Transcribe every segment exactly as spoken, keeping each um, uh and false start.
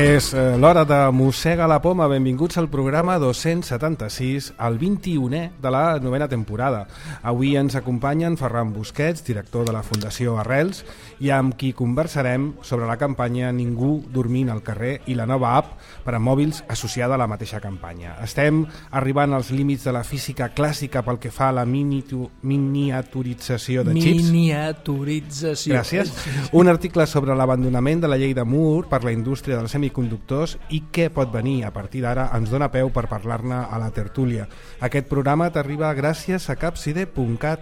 És l'hora de Mossega la Poma. Benvinguts al programa dos-cents setanta-sis, el vint-i-unè de la novena temporada. Avui ens acompanyen Ferran Busquets, director de la Fundació Arrels, i amb qui conversarem sobre la campanya Ningú dormint al carrer i la nova app per a mòbils associada a la mateixa campanya. Estem arribant als límits de la física clàssica pel que fa a la miniaturització de xips. Miniaturització. Gràcies. Un article sobre l'abandonament de la llei de Moore per la indústria dels semiconductors i què pot venir a partir d'ara ens dona peu per parlar-ne a la tertúlia. Aquest programa t'arriba gràcies a capcide punt cat,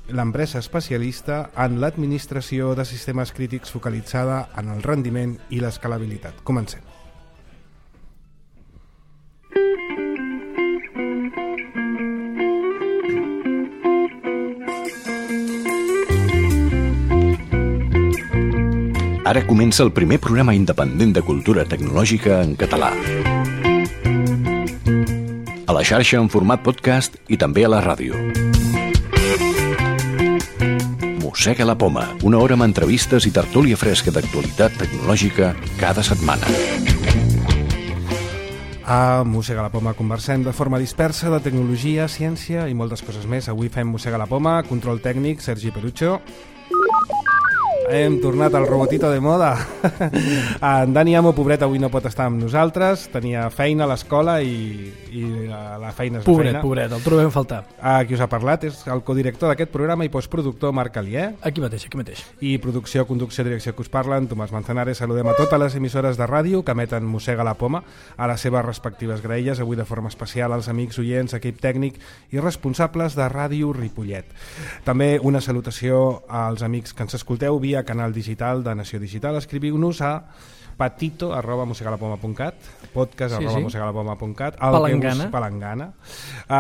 l'empresa especialista en l'administració de sistemes crítics focalitzada en el rendiment i l'escalabilitat. Comencem. Ara comença el primer programa independent de cultura tecnològica en català. A la xarxa en format podcast i també a la ràdio. Mossega la Poma, una hora amb entrevistes i tertúlia fresca d'actualitat tecnològica cada setmana. A Mossega la Poma conversem de forma dispersa de tecnologia, ciència i moltes coses més. Avui fem Mossega la Poma, control tècnic, Sergi Perucho. Hem tornat al robotito de moda. En Dani Amo, pobret, avui no pot estar amb nosaltres. Tenia feina a l'escola i, i la feina és la pobret, feina. Pobret, el trobem a faltar. A qui us ha parlat és el codirector d'aquest programa i postproductor Marc Alier. Aquí mateix, aquí mateix. I producció, conducció, direcció que us parlen, Tomàs Manzanares. Saludem a totes les emissores de ràdio que emeten Mossega la Poma a les seves respectives graelles, avui de forma especial als amics oients, equip tècnic i responsables de Ràdio Ripollet. També una salutació als amics que ens escolteu via canal digital de Nació Digital. Escriviu-nos a patito arroba mossegalapoma punt cat, podcast sí, arroba sí. mossegalapoma punt cat, palangana. Us, palangana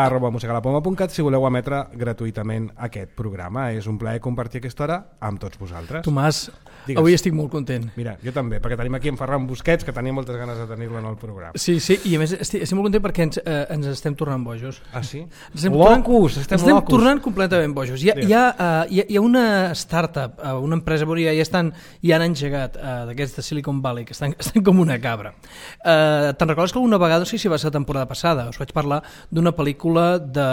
arroba mossegalapoma punt cat si voleu emetre gratuïtament aquest programa. És un plaer compartir aquesta hora amb tots vosaltres. Tomàs, Digues. Avui estic molt content. Mira, jo també, perquè tenim aquí en Ferran Busquets, que tenia moltes ganes de tenir-lo en el programa. Sí, sí, i a més estic, estic molt content perquè ens, eh, ens estem tornant bojos. Ah, sí? Estem locus, tornant, estem, estem locus. tornant completament bojos. Hi ha, hi ha, uh, hi ha, hi ha una startup, uh, una empresa, ja, ja, estan, ja han engegat uh, d'aquests de Silicon Valley, que estan, estan com una cabra. Uh, Te'n recordes que alguna vegada, no sé si va ser la temporada passada, us vaig parlar d'una pel·lícula de,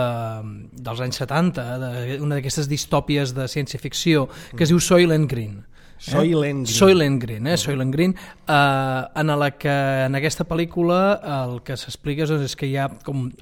dels anys setanta, de, una d'aquestes distòpies de ciència-ficció, que es diu Soylent Green. Soylent Green. Soylent Green, eh? Soylent Green, eh, en la que en aquesta pel·lícula el que s'explica és que hi ha com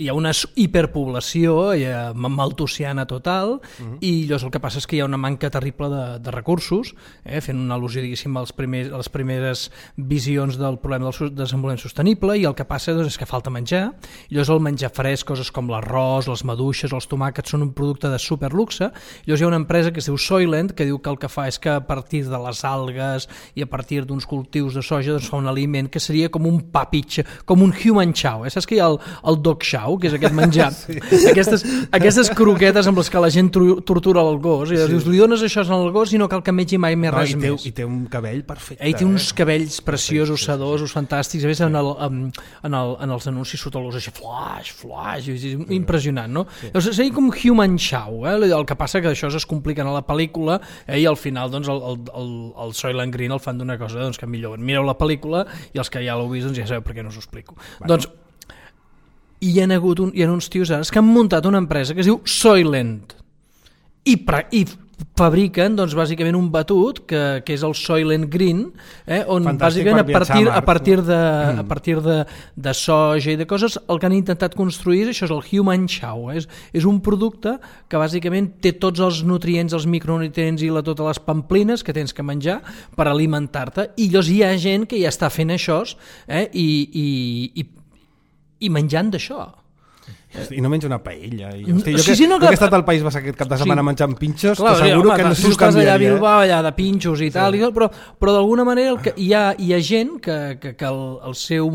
hi ha una hiperpoblació maltusiana total, uh-huh. i llavors el que passa és que hi ha una manca terrible de, de recursos, eh, fent una al·lusió diguéssim als primers, a les primeres visions del problema del desenvolupament sostenible, i el que passa doncs, és que falta menjar, i llavors el menjar fresc, coses com l'arròs, les maduixes, els tomàquets són un producte de superluxe, i llavors hi ha una empresa que es diu Soylent que diu que el que fa és que a partir de les algues i a partir d'uns cultius de soja doncs fa un aliment que seria com un papitx, com un human chow, eh? Saps que hi ha el, el dog chow, que és aquest menjar, sí. aquestes, aquestes croquetes amb les que la gent tortura el gos, i sí. dius, li dones això al gos i no cal que mengi mai més no, res i té, més. I té un cabell perfecte. I té uns eh? cabells preciosos, sí, sí, sedosos, sí. fantàstics. A més, en, el, en, el, en els anuncis surt el gos així, flash, flash, sí. impressionant, no? Sí. Llavors, seria com human chow, eh? El que passa que això es complica a la pel·lícula, eh? I al final doncs, el, el, el, el Soylent Green el fan d'una cosa doncs, que millor. Mireu la pel·lícula i els que ja l'heu vist doncs, ja sabeu per què no us ho explico. Bueno. Doncs i hi ha hagut un, hi ha uns tios ara que han muntat una empresa que es diu Soylent i, pra, i fabriquen doncs, bàsicament un batut que, que és el Soylent Green, eh, on Fantàstic bàsicament a partir, a, a partir, de, a partir de, de soja i de coses el que han intentat construir això és el Human Chow, eh? és, és un producte que bàsicament té tots els nutrients, els micronutrients i la, totes les pamplines que tens que menjar per alimentar-te, i llavors hi ha gent que ja està fent això, eh, i, i, i i menjant d'això. I no menja una paella. I, hosti, jo, sí, que, sí, no, jo que he estat al País Basc aquest cap de setmana sí. menjant pinxos, clar, t'asseguro home, que no s'ho canviaria. Allà a Bilbao, allà de pinxos i tal, sí. i tal però, però d'alguna manera el que, hi, ha, hi ha gent que, que, que el, el seu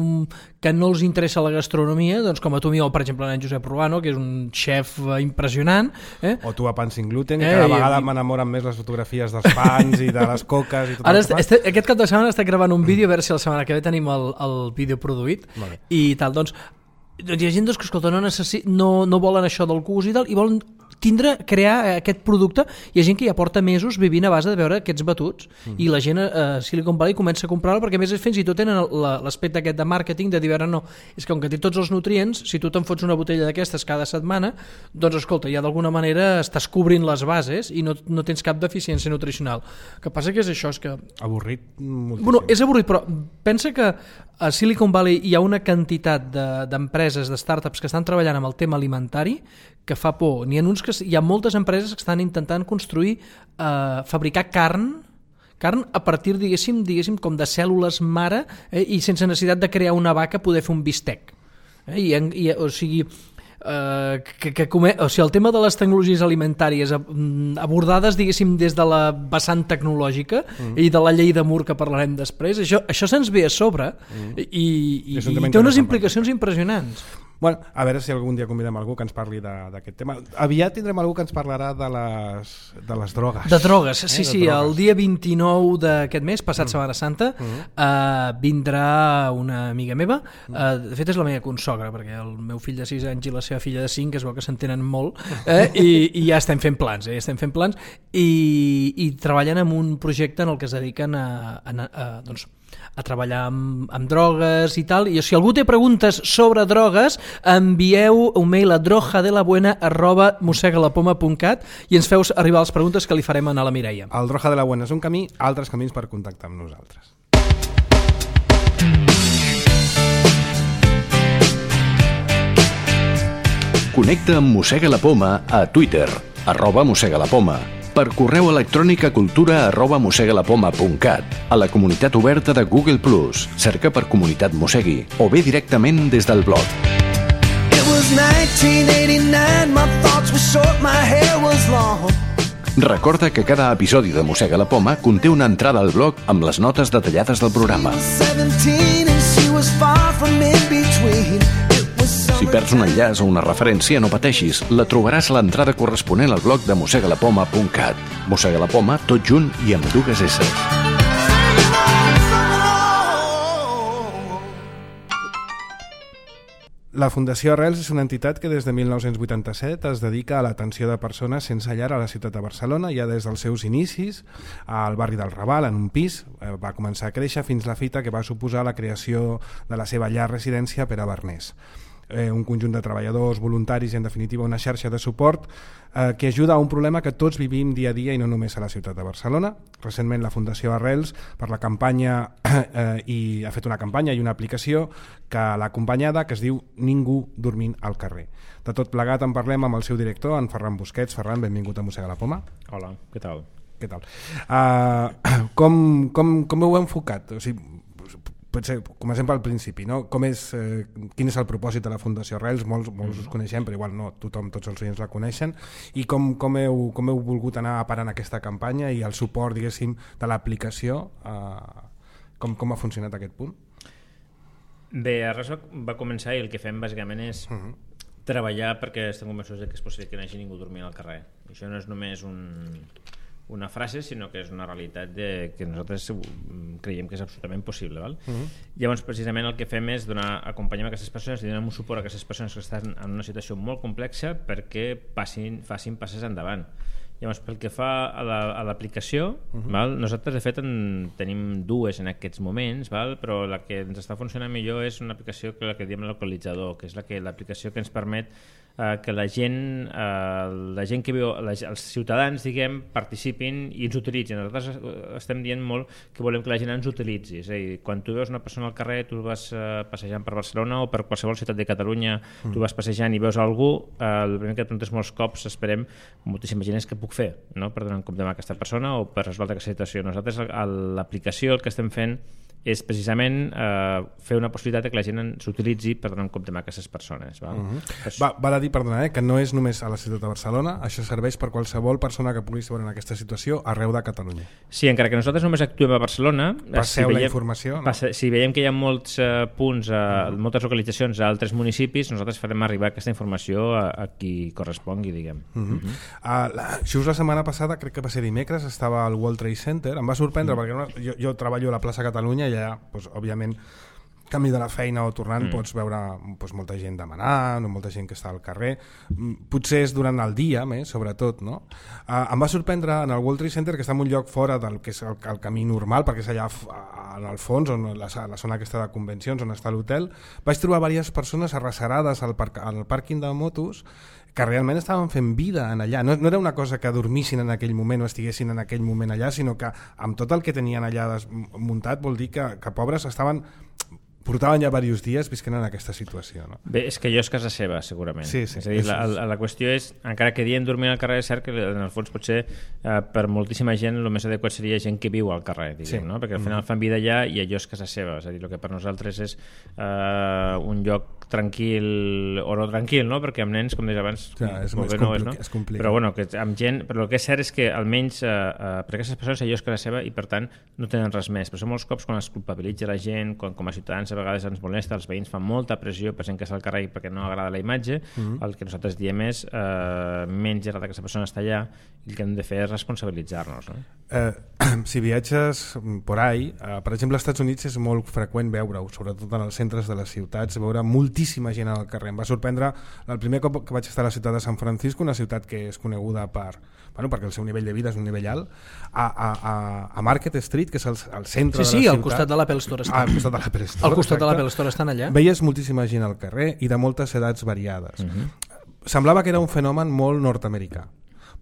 que no els interessa la gastronomia, doncs com a tu mi, o per exemple en Josep Ruano, que és un xef impressionant. Eh? O tu a Pan Sin Gluten, eh, cada vegada i... m'enamoren més les fotografies dels pans i de les coques. I tot Ara, este, aquest cap de setmana estic gravant un vídeo, a veure si la setmana que ve tenim el, el vídeo produït, vale. I tal, doncs doncs hi ha gent doncs, que escolta, no, necessi... no, no volen això del gust i tal, i volen tindre, crear aquest producte. Hi ha gent que ja porta mesos vivint a base de veure aquests batuts mm. i la gent a Silicon Valley comença a comprar-lo perquè a més fins i tot tenen l'aspecte aquest de màrqueting de dir, no, és que com que té tots els nutrients, si tu te'n fots una botella d'aquestes cada setmana, doncs escolta, ja d'alguna manera estàs cobrint les bases i no, no tens cap deficiència nutricional. El que passa que és això, és que... Avorrit moltíssim. Bueno, és avorrit, però pensa que a Silicon Valley hi ha una quantitat d'empreses, de, de startups que estan treballant amb el tema alimentari que fa por. N'hi ha, uns que, hi ha moltes empreses que estan intentant construir, eh, fabricar carn, carn a partir, diguéssim, diguéssim com de cèl·lules mare eh, i sense necessitat de crear una vaca poder fer un bistec. Eh, i, i, o sigui... Uh, que, que come... o sigui, el tema de les tecnologies alimentàries abordades, diguéssim, des de la vessant tecnològica mm. i de la llei de Moore que parlarem després, això, això se'ns ve a sobre mm. i, i, i té unes implicacions impressionants. Bueno, a veure si algun dia convidem algú que ens parli d'aquest tema. Aviat tindrem algú que ens parlarà de les, de les drogues. De drogues, sí, eh? sí. Drogues. El dia vint-i-nou d'aquest mes, passat mm. Setmana Santa, mm. uh, vindrà una amiga meva. Uh, de fet, és la meva consogra, perquè el meu fill de sis anys i la seva filla de cinc es veu que s'entenen molt, eh? I, i ja estem fent plans, eh? ja estem fent plans, i, i treballen en un projecte en el que es dediquen a... a, a doncs, a treballar amb, amb drogues i tal, i si algú té preguntes sobre drogues, envieu un mail a drojadelabuena arroba mosegalapoma punt cat i ens feu arribar les preguntes que li farem anar a la Mireia. El Droja de la Buena és un camí, altres camins per contactar amb nosaltres. Connecta amb Mossega la Poma a Twitter, arroba Mossega la Poma, per correu electrònic a cultura arroba mosegalapoma punt cat, a la comunitat oberta de Google plus, cerca per Comunitat Mossegui, o bé directament des del blog. Recorda que cada episodi de Mossega la Poma conté una entrada al blog amb les notes detallades del programa. Si perds un enllaç o una referència, no pateixis, la trobaràs a l'entrada corresponent al blog de mosegalapoma punt cat. Mossega la Poma, tot junt i amb dues esses. La Fundació Arrels és una entitat que des de mil nou-cents vuitanta-set es dedica a l'atenció de persones sense llar a la ciutat de Barcelona. Ja des dels seus inicis, al barri del Raval, en un pis, va començar a créixer fins la fita que va suposar la creació de la seva llar residència per a Barners. Eh, un conjunt de treballadors, voluntaris i en definitiva una xarxa de suport eh, que ajuda a un problema que tots vivim dia a dia i no només a la ciutat de Barcelona. Recentment la Fundació Arrels per la campanya eh, i ha fet una campanya i una aplicació que l'ha acompanyada que es diu Ningú dormint al carrer. De tot plegat en parlem amb el seu director, en Ferran Busquets. Ferran, benvingut a Mossega la Poma. Hola, què tal? Què tal? Uh, com, com, com ho heu enfocat? O sigui, potser comencem pel principi, no? Com és, eh, quin és el propòsit de la Fundació Arrels? Molts, molts us coneixem, però igual no, tothom, tots els oients la coneixen. I com, com, heu, com heu volgut anar parant aquesta campanya i el suport, diguéssim, de l'aplicació? Eh, com, com ha funcionat aquest punt? Bé, Arrels va començar i el que fem bàsicament és uh -huh. treballar perquè estem convençuts que és possible que no hagi ningú dormint al carrer. I això no és només un... una frase, sinó que és una realitat de, que nosaltres creiem que és absolutament possible. Val? Uh-huh. Llavors, precisament el que fem és donar, acompanyar aquestes persones i donar un suport a aquestes persones que estan en una situació molt complexa perquè passin, facin passes endavant. Llavors, pel que fa a l'aplicació, la, uh-huh. nosaltres de fet en tenim dues en aquests moments, val? Però la que ens està funcionant millor és una aplicació que la que diem localitzador, que és la que l'aplicació que ens permet eh, que la gent, eh, la gent que viu, la, els ciutadans, diguem, participin i ens utilitzin. Nosaltres estem dient molt que volem que la gent ens utilitzi. És a dir, quan tu veus una persona al carrer, tu vas eh, passejant per Barcelona o per qualsevol ciutat de Catalunya, mm. tu vas passejant i veus algú, eh, el primer que et preguntes molts cops, esperem, moltíssima gent és que puc fer, no? Per donar en compte amb aquesta persona o per resoldre aquesta situació. Nosaltres a l'aplicació el que estem fent és precisament eh, fer una possibilitat que la gent s'utilitzi per donar en compte amb aquestes persones. Val? Uh-huh. Pues... Va, val a dir, perdona, eh, que no és només a la ciutat de Barcelona, això serveix per qualsevol persona que pugui estar en aquesta situació arreu de Catalunya. Sí, encara que nosaltres només actuem a Barcelona, passeu si veiem, la informació, no? passa, si veiem que hi ha molts uh, punts, uh, uh-huh. moltes localitzacions a altres municipis, nosaltres farem arribar aquesta informació a, a qui correspongui, diguem. Uh-huh. Uh-huh. Uh, la, just la setmana passada, crec que va ser dimecres, estava al World Trade Center, em va sorprendre uh-huh. perquè no, jo, jo treballo a la plaça Catalunya i allà, doncs, òbviament, camí de la feina o tornant mm. pots veure doncs, molta gent demanant o molta gent que està al carrer, potser és durant el dia més, sobretot, no? Uh, em va sorprendre en el World Trade Center, que està en un lloc fora del que és el, el camí normal, perquè és allà en el fons, on la, la zona aquesta de convencions on està l'hotel, vaig trobar diverses persones arrecerades al, parc, al pàrquing de motos que realment estaven fent vida en allà. No, no era una cosa que dormissin en aquell moment o estiguessin en aquell moment allà, sinó que amb tot el que tenien allà muntat vol dir que, que pobres estaven... portaven ja diversos dies visquent en aquesta situació. No? Bé, és que allò és casa seva, segurament. Sí, sí. És a dir, la, la, la qüestió és, encara que dient dormir al carrer, és cert que en el fons potser eh, per moltíssima gent el més adequat seria gent que viu al carrer, diguem, sí. no? Perquè al final fan vida allà i allò és casa seva. És a dir, el que per nosaltres és eh, un lloc tranquil o no tranquil, no? Perquè amb nens, com deies abans, ja, és, és, no és, no? és complicat. Però bueno, que amb gent, però el que és cert és que almenys eh, eh, per aquestes persones allò és casa seva i per tant no tenen res més. Però són molts cops quan es culpabilitza la gent, quan com a ciutadans a vegades ens molesta, els veïns fan molta pressió per gent que està al carrer perquè no agrada la imatge, mm-hmm. el que nosaltres diem és eh, menys agrada que aquesta persona està allà i el que hem de fer és responsabilitzar-nos. No? Eh, si viatges por ahí, eh, per exemple als Estats Units és molt freqüent veure-ho, sobretot en els centres de les ciutats, veure moltíssima gent al carrer. Em va sorprendre el primer cop que vaig estar a la ciutat de San Francisco, una ciutat que és coneguda per, bueno, perquè el seu nivell de vida és un nivell alt, a, a, a, a Market Street, que és el, el centre sí, sí, de la ciutat. al costat de l'Apple Store Ah, al costat de l'Apple Store. Al costat de l'Apple Store estan allà. Veies moltíssima gent al carrer i de moltes edats variades. Uh-huh. Semblava que era un fenomen molt nord-americà.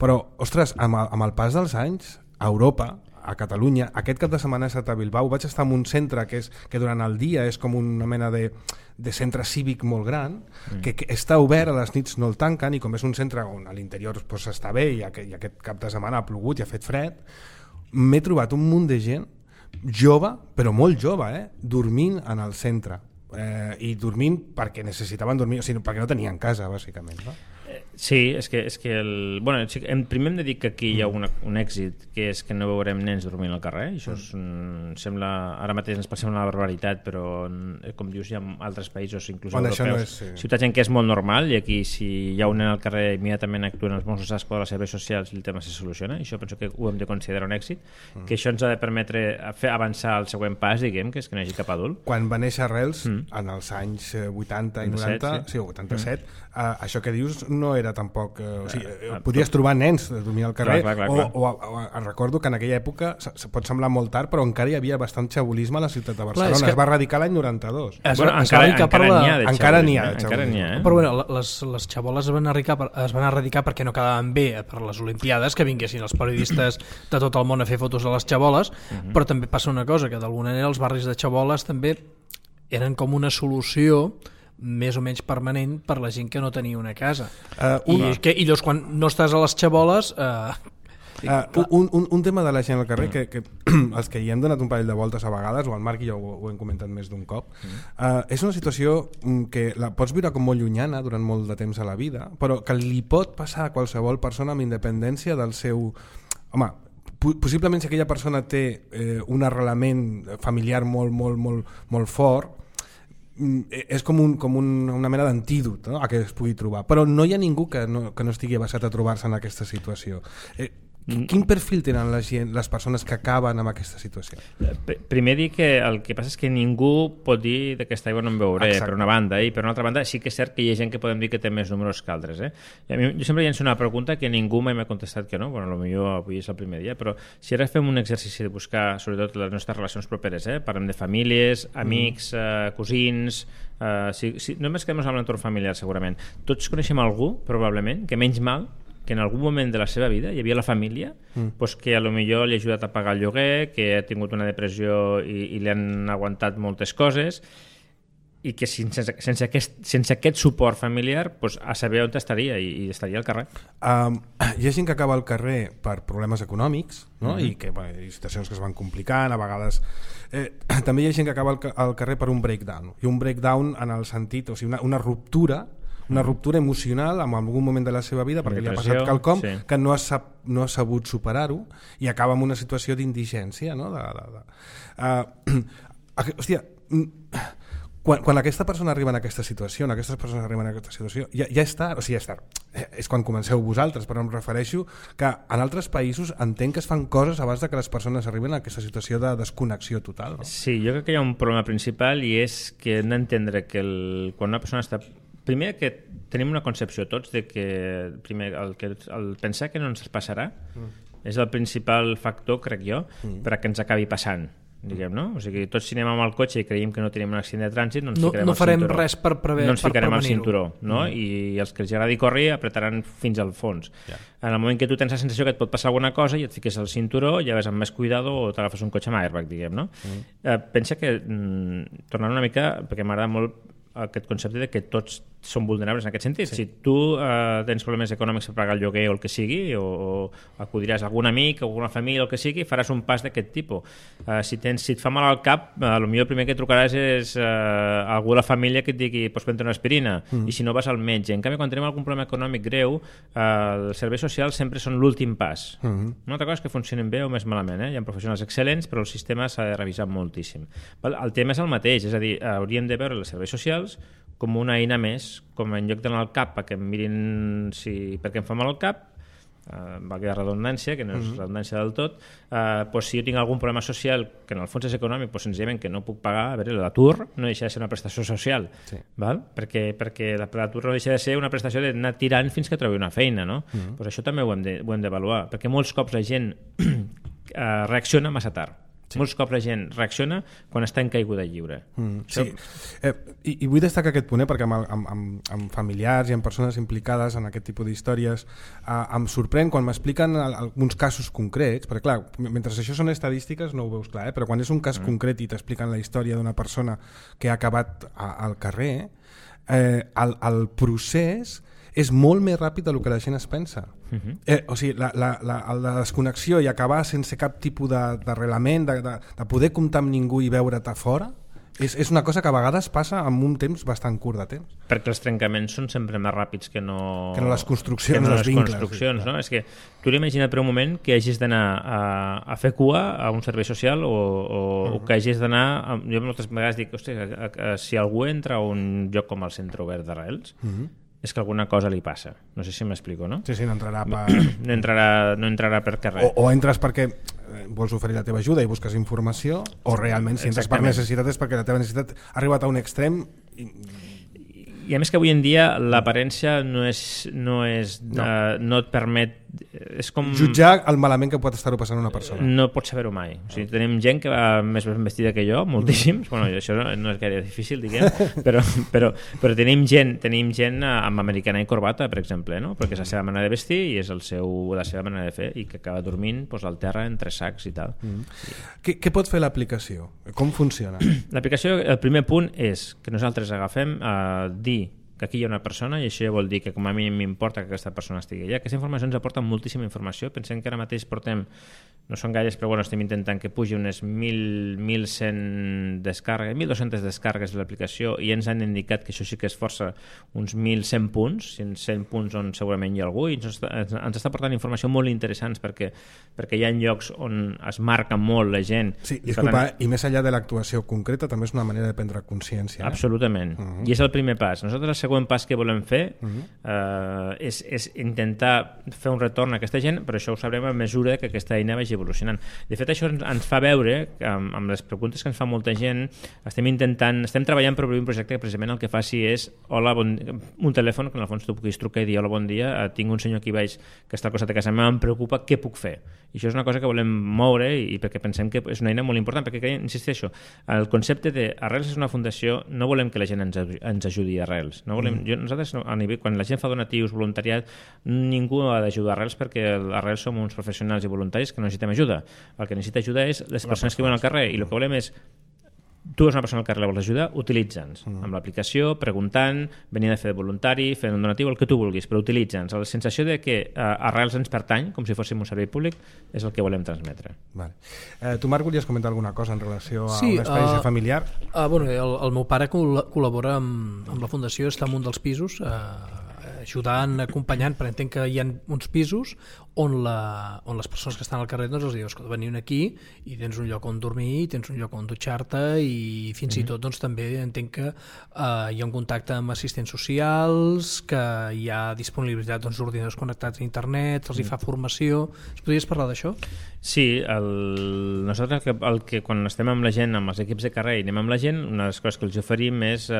Però, ostres, amb el, amb el pas dels anys, a Europa, a Catalunya, aquest cap de setmana he estat a Bilbao, vaig estar en un centre que, és, que durant el dia és com una mena de, de centre cívic molt gran, mm. que, que està obert, a les nits no el tanquen, i com és un centre on a l'interior pues, està bé i aquest, i aquest cap de setmana ha plogut i ha fet fred, m'he trobat un munt de gent jove, però molt jove, eh? dormint en el centre. Eh, i dormint perquè necessitaven dormir, o sigui, perquè no tenien casa, bàsicament. No? Sí, és que, és que el... bueno, primer hem de dir que aquí hi ha una, un èxit, que és que no veurem nens dormint al carrer. Això és, mm, sembla, ara mateix ens pot semblar una barbaritat, però com dius hi ha altres països, inclús bueno, europeus, no és, sí. ciutats en què és molt normal, i aquí si hi ha un nen al carrer immediatament actuen els Mossos d'Esquadra, les serveis socials i el tema se soluciona. I això penso que ho hem de considerar un èxit, mm. que això ens ha de permetre fer avançar el següent pas, diguem, que és que no hi hagi cap adult. Quan va néixer Arrels, mm. en els anys vuitanta i noranta, sí, sí vuitanta-set, mm. uh, això que dius no era tampoc... Uh, o sigui, uh, podies trobar nens de dormir al carrer, clar, clar, clar, o, o, o recordo que en aquella època, se pot semblar molt tard, però encara hi havia bastant xabolisme a la ciutat de Barcelona. Clar, que... Es va erradicar l'any noranta-dos. Es, bueno, es encara, encara n'hi ha de encara n'hi ha, encara n'hi ha, eh? Però bueno, les, les xaboles es van, erradicar, es van erradicar perquè no quedaven bé per les Olimpiades, que vinguessin els periodistes de tot el món a fer fotos a les xaboles, uh-huh. però també passa una cosa, que d'alguna manera els barris de xaboles també eren com una solució més o menys permanent per la gent que no tenia una casa. Uh, una. I, que, I llavors quan no estàs a les xaboles... Uh, uh, un, un, un tema de la gent al carrer que, que els que hi hem donat un parell de voltes a vegades, o el Marc i jo ho, ho hem comentat més d'un cop, uh, és una situació que la pots viure com molt llunyana durant molt de temps a la vida, però que li pot passar a qualsevol persona amb independència del seu... Home, possiblement si aquella persona té eh, un arrelament familiar molt, molt, molt, molt fort, és com, un, com un, una mena d'antídot, no? A què es pugui trobar, però no hi ha ningú que no, que no estigui basat a trobar-se en aquesta situació. eh, Quin perfil tenen la gent, les persones que acaben amb aquesta situació? Primer dir que el que passa és que ningú pot dir d'aquesta aigua no en veuré. Exacte. Per una banda, i per una altra banda sí que és cert que hi ha gent que podem dir que té més números que altres, eh? I a mi, jo sempre llenço una pregunta que ningú mai m'ha contestat que no, bueno, potser avui és el primer dia, però si ara fem un exercici de buscar sobretot les nostres relacions properes, eh? Parlem de famílies, amics, mm. eh, cosins, eh, si, si, només quedem amb l'entorn familiar segurament, tots coneixem algú probablement que menys mal que en algun moment de la seva vida hi havia la família, mm. pues que a lo millor li ha ajudat a pagar el lloguer, que ha tingut una depressió i, i li han aguantat moltes coses, i que sense, sense, aquest, sense aquest suport familiar pues, a saber on estaria, i, i estaria al carrer. Um, hi ha gent que acaba al carrer per problemes econòmics, no? Mm-hmm. I que bueno, hi ha situacions que es van complicant, a vegades... Eh, també hi ha gent que acaba al, al carrer per un breakdown, i un breakdown en el sentit, o sigui, una, una ruptura una ruptura emocional en algun moment de la seva vida perquè li ha passat quelcom sí. que no ha, sap, no ha sabut superar-ho i acaba en una situació d'indigència, no? de, de, de. Uh, hòstia, quan, quan aquesta persona arriba en aquesta situació, en aquestes persones arriben en aquesta situació, ja, ja és tard, o sigui, ja és tard, és quan comenceu vosaltres, però em refereixo que en altres països entenc que es fan coses abans de que les persones arriben a aquesta situació de desconnexió total. No? Sí, jo crec que hi ha un problema principal i és que hem d'entendre que el, quan una persona està... Primer que tenim una concepció tots de que, primer, el, que el pensar que no ens passarà mm. és el principal factor, crec jo, mm. per a que ens acabi passant. Diguem, no? O sigui, tots si anem amb el cotxe i creiem que no tenim un accident de trànsit, no ens no, ficarem no al farem cinturó. res per, prever, no ens per ficarem al prevenir-ho. cinturó, no? Mm. I els que els agradi córrer apretaran fins al fons. Yeah. En el moment que tu tens la sensació que et pot passar alguna cosa i et fiques al cinturó, ja vas amb més cuidado o t'agafes un cotxe amb airbag, diguem, no? Mm. Eh, pensa que, mm, tornant una mica, perquè m'agrada molt aquest concepte de que tots són vulnerables en aquest sentit. Sí. Si tu eh, tens problemes econòmics per pagar el lloguer o el que sigui, o, o acudiràs a algun amic o alguna família o el que sigui, faràs un pas d'aquest tipus. Eh, si, tens, si et fa mal al cap, eh, potser el primer que trucaràs és eh, algú de la família que et digui pots prendre una aspirina, mm. i si no vas al metge. En canvi, quan tenim algun problema econòmic greu, eh, els serveis socials sempre són l'últim pas. Mm. Una altra cosa és que funcionen bé o més malament. Eh? Hi ha professionals excel·lents, però el sistema s'ha de revisar moltíssim. El tema és el mateix, és a dir, hauríem de veure els serveis socials com una eina més, com en lloc d'anar al cap perquè em mirin si, perquè em fa mal al cap, eh, valgui la redundància, que no és mm-hmm. redundància del tot, eh, pues si jo tinc algun problema social que en el fons és econòmic, pues senzillament que no puc pagar, a veure, l'atur no deixa de ser una prestació social, sí. val? Perquè, perquè l'atur no deixa de ser una prestació d'anar tirant fins que trobi una feina, no? Mm-hmm. Pues això també ho hem de, ho hem d'avaluar, perquè molts cops la gent eh, reacciona massa tard. Sí. Molts cops la gent reacciona quan està en caiguda lliure. Mm, sí. eh, i, I vull destacar aquest punt, eh, perquè amb, amb, amb, amb familiars i amb persones implicades en aquest tipus d'històries eh, em sorprèn quan m'expliquen alguns casos concrets, perquè clar, mentre això són estadístiques no ho veus clar, eh, però quan és un cas mm. concret i t'expliquen la història d'una persona que ha acabat a, al carrer, eh, el, el procés és molt més ràpid del que la gent es pensa. Uh-huh. eh, o sigui, la, la, la, la desconnexió i acabar sense cap tipus d'arrelament, de, de, de poder comptar amb ningú i veure't a fora, és, és una cosa que a vegades passa en un temps bastant curt de temps. Perquè els trencaments són sempre més ràpids que no, que no les construccions, que no les les vincles, construccions, sí, no? És que tu l'imagina't per un moment que hagis d'anar a, a fer cua a un servei social o, o, uh-huh. o que hagis d'anar... A, jo moltes vegades dic, hosti, a, a, a, si algú entra a un lloc com el Centre Obert d'Arrels, uh-huh. és que alguna cosa li passa. No sé si m'explico, no? Sí, sí, no entrarà per... no, entrarà, no entrarà per carrer. O, o entres perquè vols oferir la teva ajuda i busques informació, o realment si entres per necessitat és perquè la teva necessitat ha arribat a un extrem... I... I a més que avui en dia l'aparència no és, no és no. Uh, no et permet, és com jutjar el malament que pot estar-ho passant una persona. No pots saber-ho mai. O sigui, tenim gent que va més ben vestida que jo, moltíssims. Bueno, això no, no és gaire difícil, diguem, però, però, però tenim gent, tenim gent amb americana i corbata, per exemple, no? Perquè és la seva manera de vestir i és el seu, la seva manera de fer, i que acaba dormint pues, al terra entre sacs i tal. Mm. Sí. Què, què pot fer l'aplicació? Com funciona? L'aplicació, el primer punt és que nosaltres agafem uh, dir que aquí hi ha una persona i això ja vol dir que com a mínim m'importa que aquesta persona estigui allà. Aquesta informació ens aporta moltíssima informació. Pensem que ara mateix portem, no són gaires, però bueno, estem intentant que pugi unes mil, mil cent descàrregues, mil dos-centes descàrregues de l'aplicació, i ens han indicat que això sí que és força uns mil cent punts, cent punts on segurament hi ha algú, i ens està, ens està portant informació molt interessants perquè, perquè hi ha llocs on es marca molt la gent. Sí, i, disculpa, tant... i més enllà de l'actuació concreta també és una manera de prendre consciència. Eh? Absolutament. Uh-huh. I és el primer pas. Nosaltres el següent pas que volem fer uh-huh. eh, és, és intentar fer un retorn a aquesta gent, però això ho sabrem a mesura que aquesta eina vagi evolucionant. De fet, això ens, ens fa veure que amb, amb les preguntes que ens fa molta gent estem intentant, estem treballant per obrir un projecte que precisament el que faci és hola, bon, un telèfon que en el fons tu puguis trucar i dir hola, bon dia, tinc un senyor aquí baix que està al costat de casa meva, em preocupa, què puc fer? I això és una cosa que volem moure i, i perquè pensem que és una eina molt important, perquè creiem, insisteixo, el concepte d'Arrels és una fundació, no volem que la gent ens, ens ajudi a Arrels, no volem, mm. jo, nosaltres a nivell, quan la gent fa donatius, voluntariat, ningú ha d'ajudar a Arrels perquè a Arrels som uns professionals i voluntaris que no necessitem ajuda. El que necessita ajuda és les persones que viuen al carrer, i el que volem és tu és una persona al carrer, la vols ajudar, utilitza'ns mm. amb l'aplicació, preguntant, venint a fer de voluntari, fent un donatiu, el que tu vulguis, però utilitza'ns. La sensació de que uh, Arrels ens pertany, com si fóssim un servei públic, és el que volem transmetre. Vale. Eh, tu, Marc, volies comentar alguna cosa en relació a sí, una experiència uh, familiar? Uh, bueno, el, el meu pare col- col·labora amb, amb la Fundació, està en un dels pisos, uh, ajudant, acompanyant, perquè entenc que hi ha uns pisos on, la, on les persones que estan al carrer doncs els dius que veniu aquí i tens un lloc on dormir, tens un lloc on dutxar-te i fins mm-hmm. i tot doncs, també entenc que uh, hi ha un contacte amb assistents socials, que hi ha disponibilitat doncs, d'ordinadors connectats a internet, els hi fa formació. Es podries parlar d'això? Sí, el... nosaltres el que, el que quan estem amb la gent, amb els equips de carrer i anem amb la gent, una de les coses que els oferim és eh,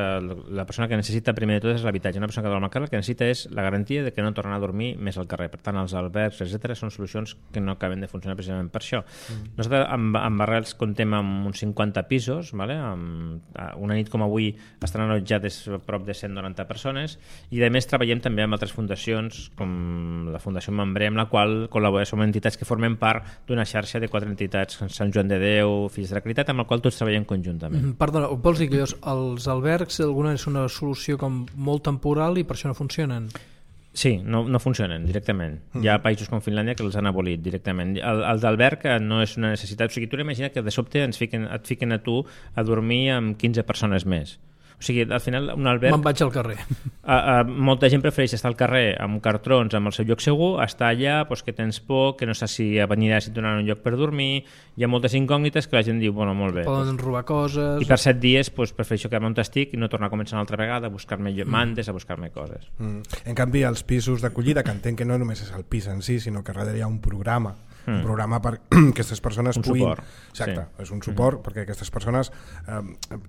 la persona que necessita primer de tot és l'habitatge. Una persona que dorm al carrer el que necessita és la garantia de que no tornarà a dormir més al carrer. Per tant, els albergs, etcètera, són solucions que no acaben de funcionar precisament per això. Mm. Nosaltres amb, amb Arrels contem amb uns cinquanta pisos, vale? Amb, una nit com avui estan allotjades prop de cent noranta persones i a més treballem també amb altres fundacions com la Fundació Membré, amb la qual col·laborem, som entitats que formen part d'una xarxa de quatre entitats, Sant Joan de Déu, Fills de la Caritat, amb la qual tots treballem conjuntament. Mm, perdona, vols dir que els albergs alguna és una solució com molt temporal i per això no funcionen? Sí, no, no funcionen directament. Mm. Hi ha països com Finlàndia que els han abolit directament. El, el d'alberg no és una necessitat. O sigui, tu imagina que de sobte ens fiquen, et fiquen a tu a dormir amb quinze persones més. O sigui, al final un alberg... Me'n vaig al carrer. A, a, molta gent prefereix estar al carrer amb cartrons, amb el seu lloc segur, estar allà pues, que tens por, que no saps si venirà si et donaran un lloc per dormir. Hi ha moltes incògnites que la gent diu, bueno, molt bé. Poden pues, robar coses... I per set dies pues, prefereixo quedar-me on estic i no tornar a començar una altra vegada, a buscar-me mm. mandes, a buscar-me coses. Mm. En canvi, els pisos d'acollida, que entenc que no només és el pis en si, sinó que darrere hi ha un programa Mm. un programa per que aquestes persones un puguin... Suport. Exacte, sí. és un suport mm. perquè aquestes persones eh,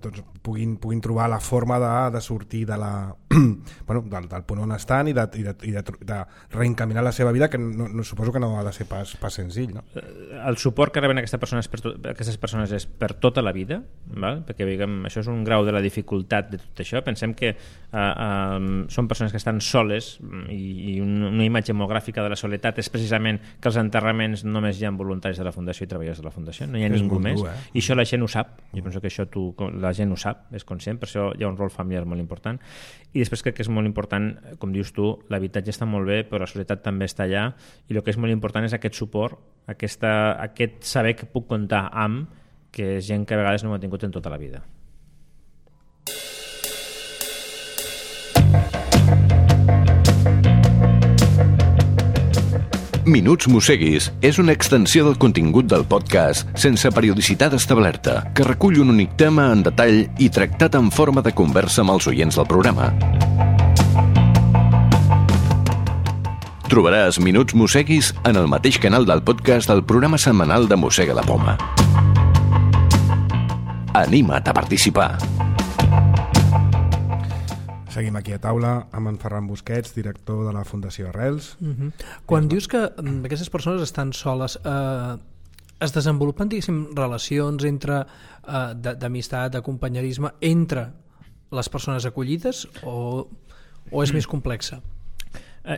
doncs, puguin, puguin trobar la forma de, de sortir de la, bueno, del, del punt on estan i de, i de, i de, de reencaminar la seva vida, que no, no, suposo que no ha de ser pas, pas senzill, no? El suport que reben aquestes persones, per to, aquestes persones és per tota la vida, val? Perquè diguem, això és un grau de la dificultat de tot això. Pensem que eh, eh, són persones que estan soles i, i una imatge molt gràfica de la soledat és precisament que els enterraments només hi ha voluntaris de la Fundació i treballadors de la Fundació, no hi ha és ningú més dur, eh? I això la gent ho sap, jo penso que això tu, la gent ho sap, és conscient, per això hi ha un rol familiar molt important. I després crec que és molt important, com dius tu, l'habitatge està molt bé, però la societat també està allà, i el que és molt important és aquest suport, aquesta, aquest saber que puc comptar amb, que és gent que a vegades no ho ha tingut en tota la vida. Minuts Mosseguis és una extensió del contingut del podcast sense periodicitat establerta, que recull un únic tema en detall i tractat en forma de conversa amb els oients del programa. Trobaràs Minuts Mosseguis en el mateix canal del podcast del programa setmanal de Mossega la Poma. Anima't a participar! Seguim aquí a taula amb en Ferran Busquets, director de la Fundació Arrels. Uh-huh. Quan uh-huh. dius que aquestes persones estan soles, eh, es desenvolupen, diguéssim, relacions entre eh, d'amistat, de companyerisme entre les persones acollides o, o és mm. més complexa?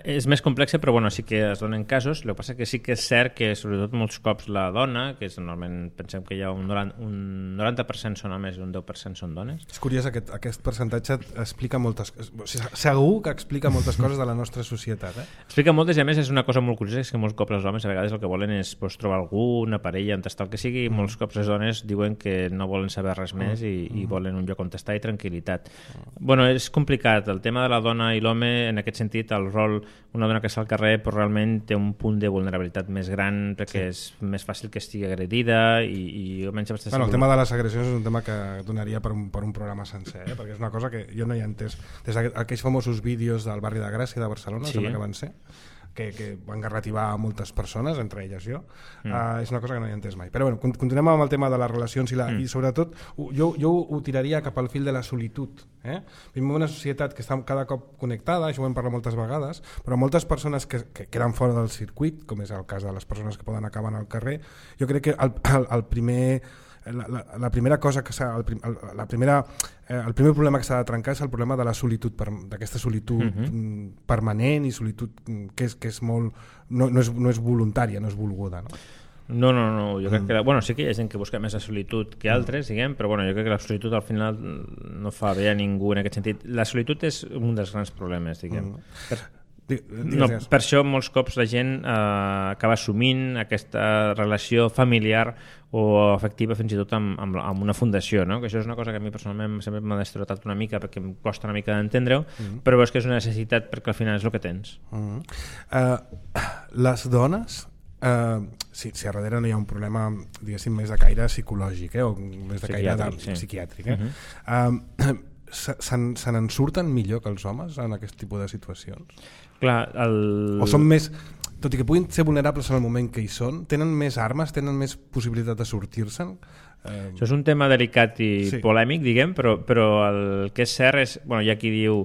És més complexa, però bueno, sí que es donen casos. El que passa que sí que és cert que sobretot molts cops la dona, que és normalment pensem que hi ha un noranta, un noranta per cent són homes i un deu per cent són dones. És curiós, aquest, aquest percentatge explica moltes coses. O sigui, segur que explica moltes coses de la nostra societat. Eh? Explica moltes i a més és una cosa molt curiosa, és que molts cops els homes a vegades el que volen és pues, trobar algú, una parella, on estar el que sigui, i molts cops les dones diuen que no volen saber res més i, i volen un lloc on estar i tranquil·litat. Bueno, és complicat. El tema de la dona i l'home, en aquest sentit, el rol una dona que està al carrer però realment té un punt de vulnerabilitat més gran perquè sí. és més fàcil que estigui agredida i, i almenys bueno, segur... El tema de les agressions és un tema que donaria per un, per un programa sencer, eh? Perquè és una cosa que jo no hi he entès. Des d'aquells famosos vídeos del barri de Gràcia de Barcelona, sí. sembla que van ser, que, que van garrativar a moltes persones, entre elles jo, mm. uh, és una cosa que no hi he entès mai. Però bueno, continuem amb el tema de les relacions i, la, mm. i sobretot jo, jo ho tiraria cap al fil de la solitud. Eh? Vivim en una societat que està cada cop connectada, això ho hem parlat moltes vegades, però moltes persones que, que queden fora del circuit, com és el cas de les persones que poden acabar al carrer, jo crec que el, el, el primer... La, la, la primera cosa que s'ha, el, el, la primera, eh, el primer problema que s'ha de trencar és el problema de la solitud, d'aquesta solitud uh-huh. permanent i solitud que és, que és molt, no, no, és, no és voluntària, no és volguda, no? No, no, no, jo crec que... Bueno, sí que hi ha gent que busca més la solitud que altres, diguem, però bueno, jo crec que la solitud al final no fa bé a ningú en aquest sentit. La solitud és un dels grans problemes, diguem. Mm. Per... No, per això molts cops la gent eh, acaba assumint aquesta relació familiar o afectiva fins i tot amb, amb, amb una fundació, no? Que això és una cosa que a mi personalment sempre m'ha destrotat una mica perquè em costa una mica d'entendre-ho, mm-hmm. però és que és una necessitat perquè al final és el que tens. Mm-hmm. uh, Les dones, eh, si, si a darrere no hi ha un problema, diguéssim, més de caire psicològic, eh, o més de caire de, sí. psiquiàtric, eh? Uh-huh. eh, se n'en surten millor que els homes en aquest tipus de situacions? Clar, el... O són més... Tot i que puguin ser vulnerables en el moment que hi són, tenen més armes, tenen més possibilitat de sortir-se'n? Eh... Això és un tema delicat i sí. polèmic, diguem, però, però el que és cert és... Bueno, hi ha qui diu...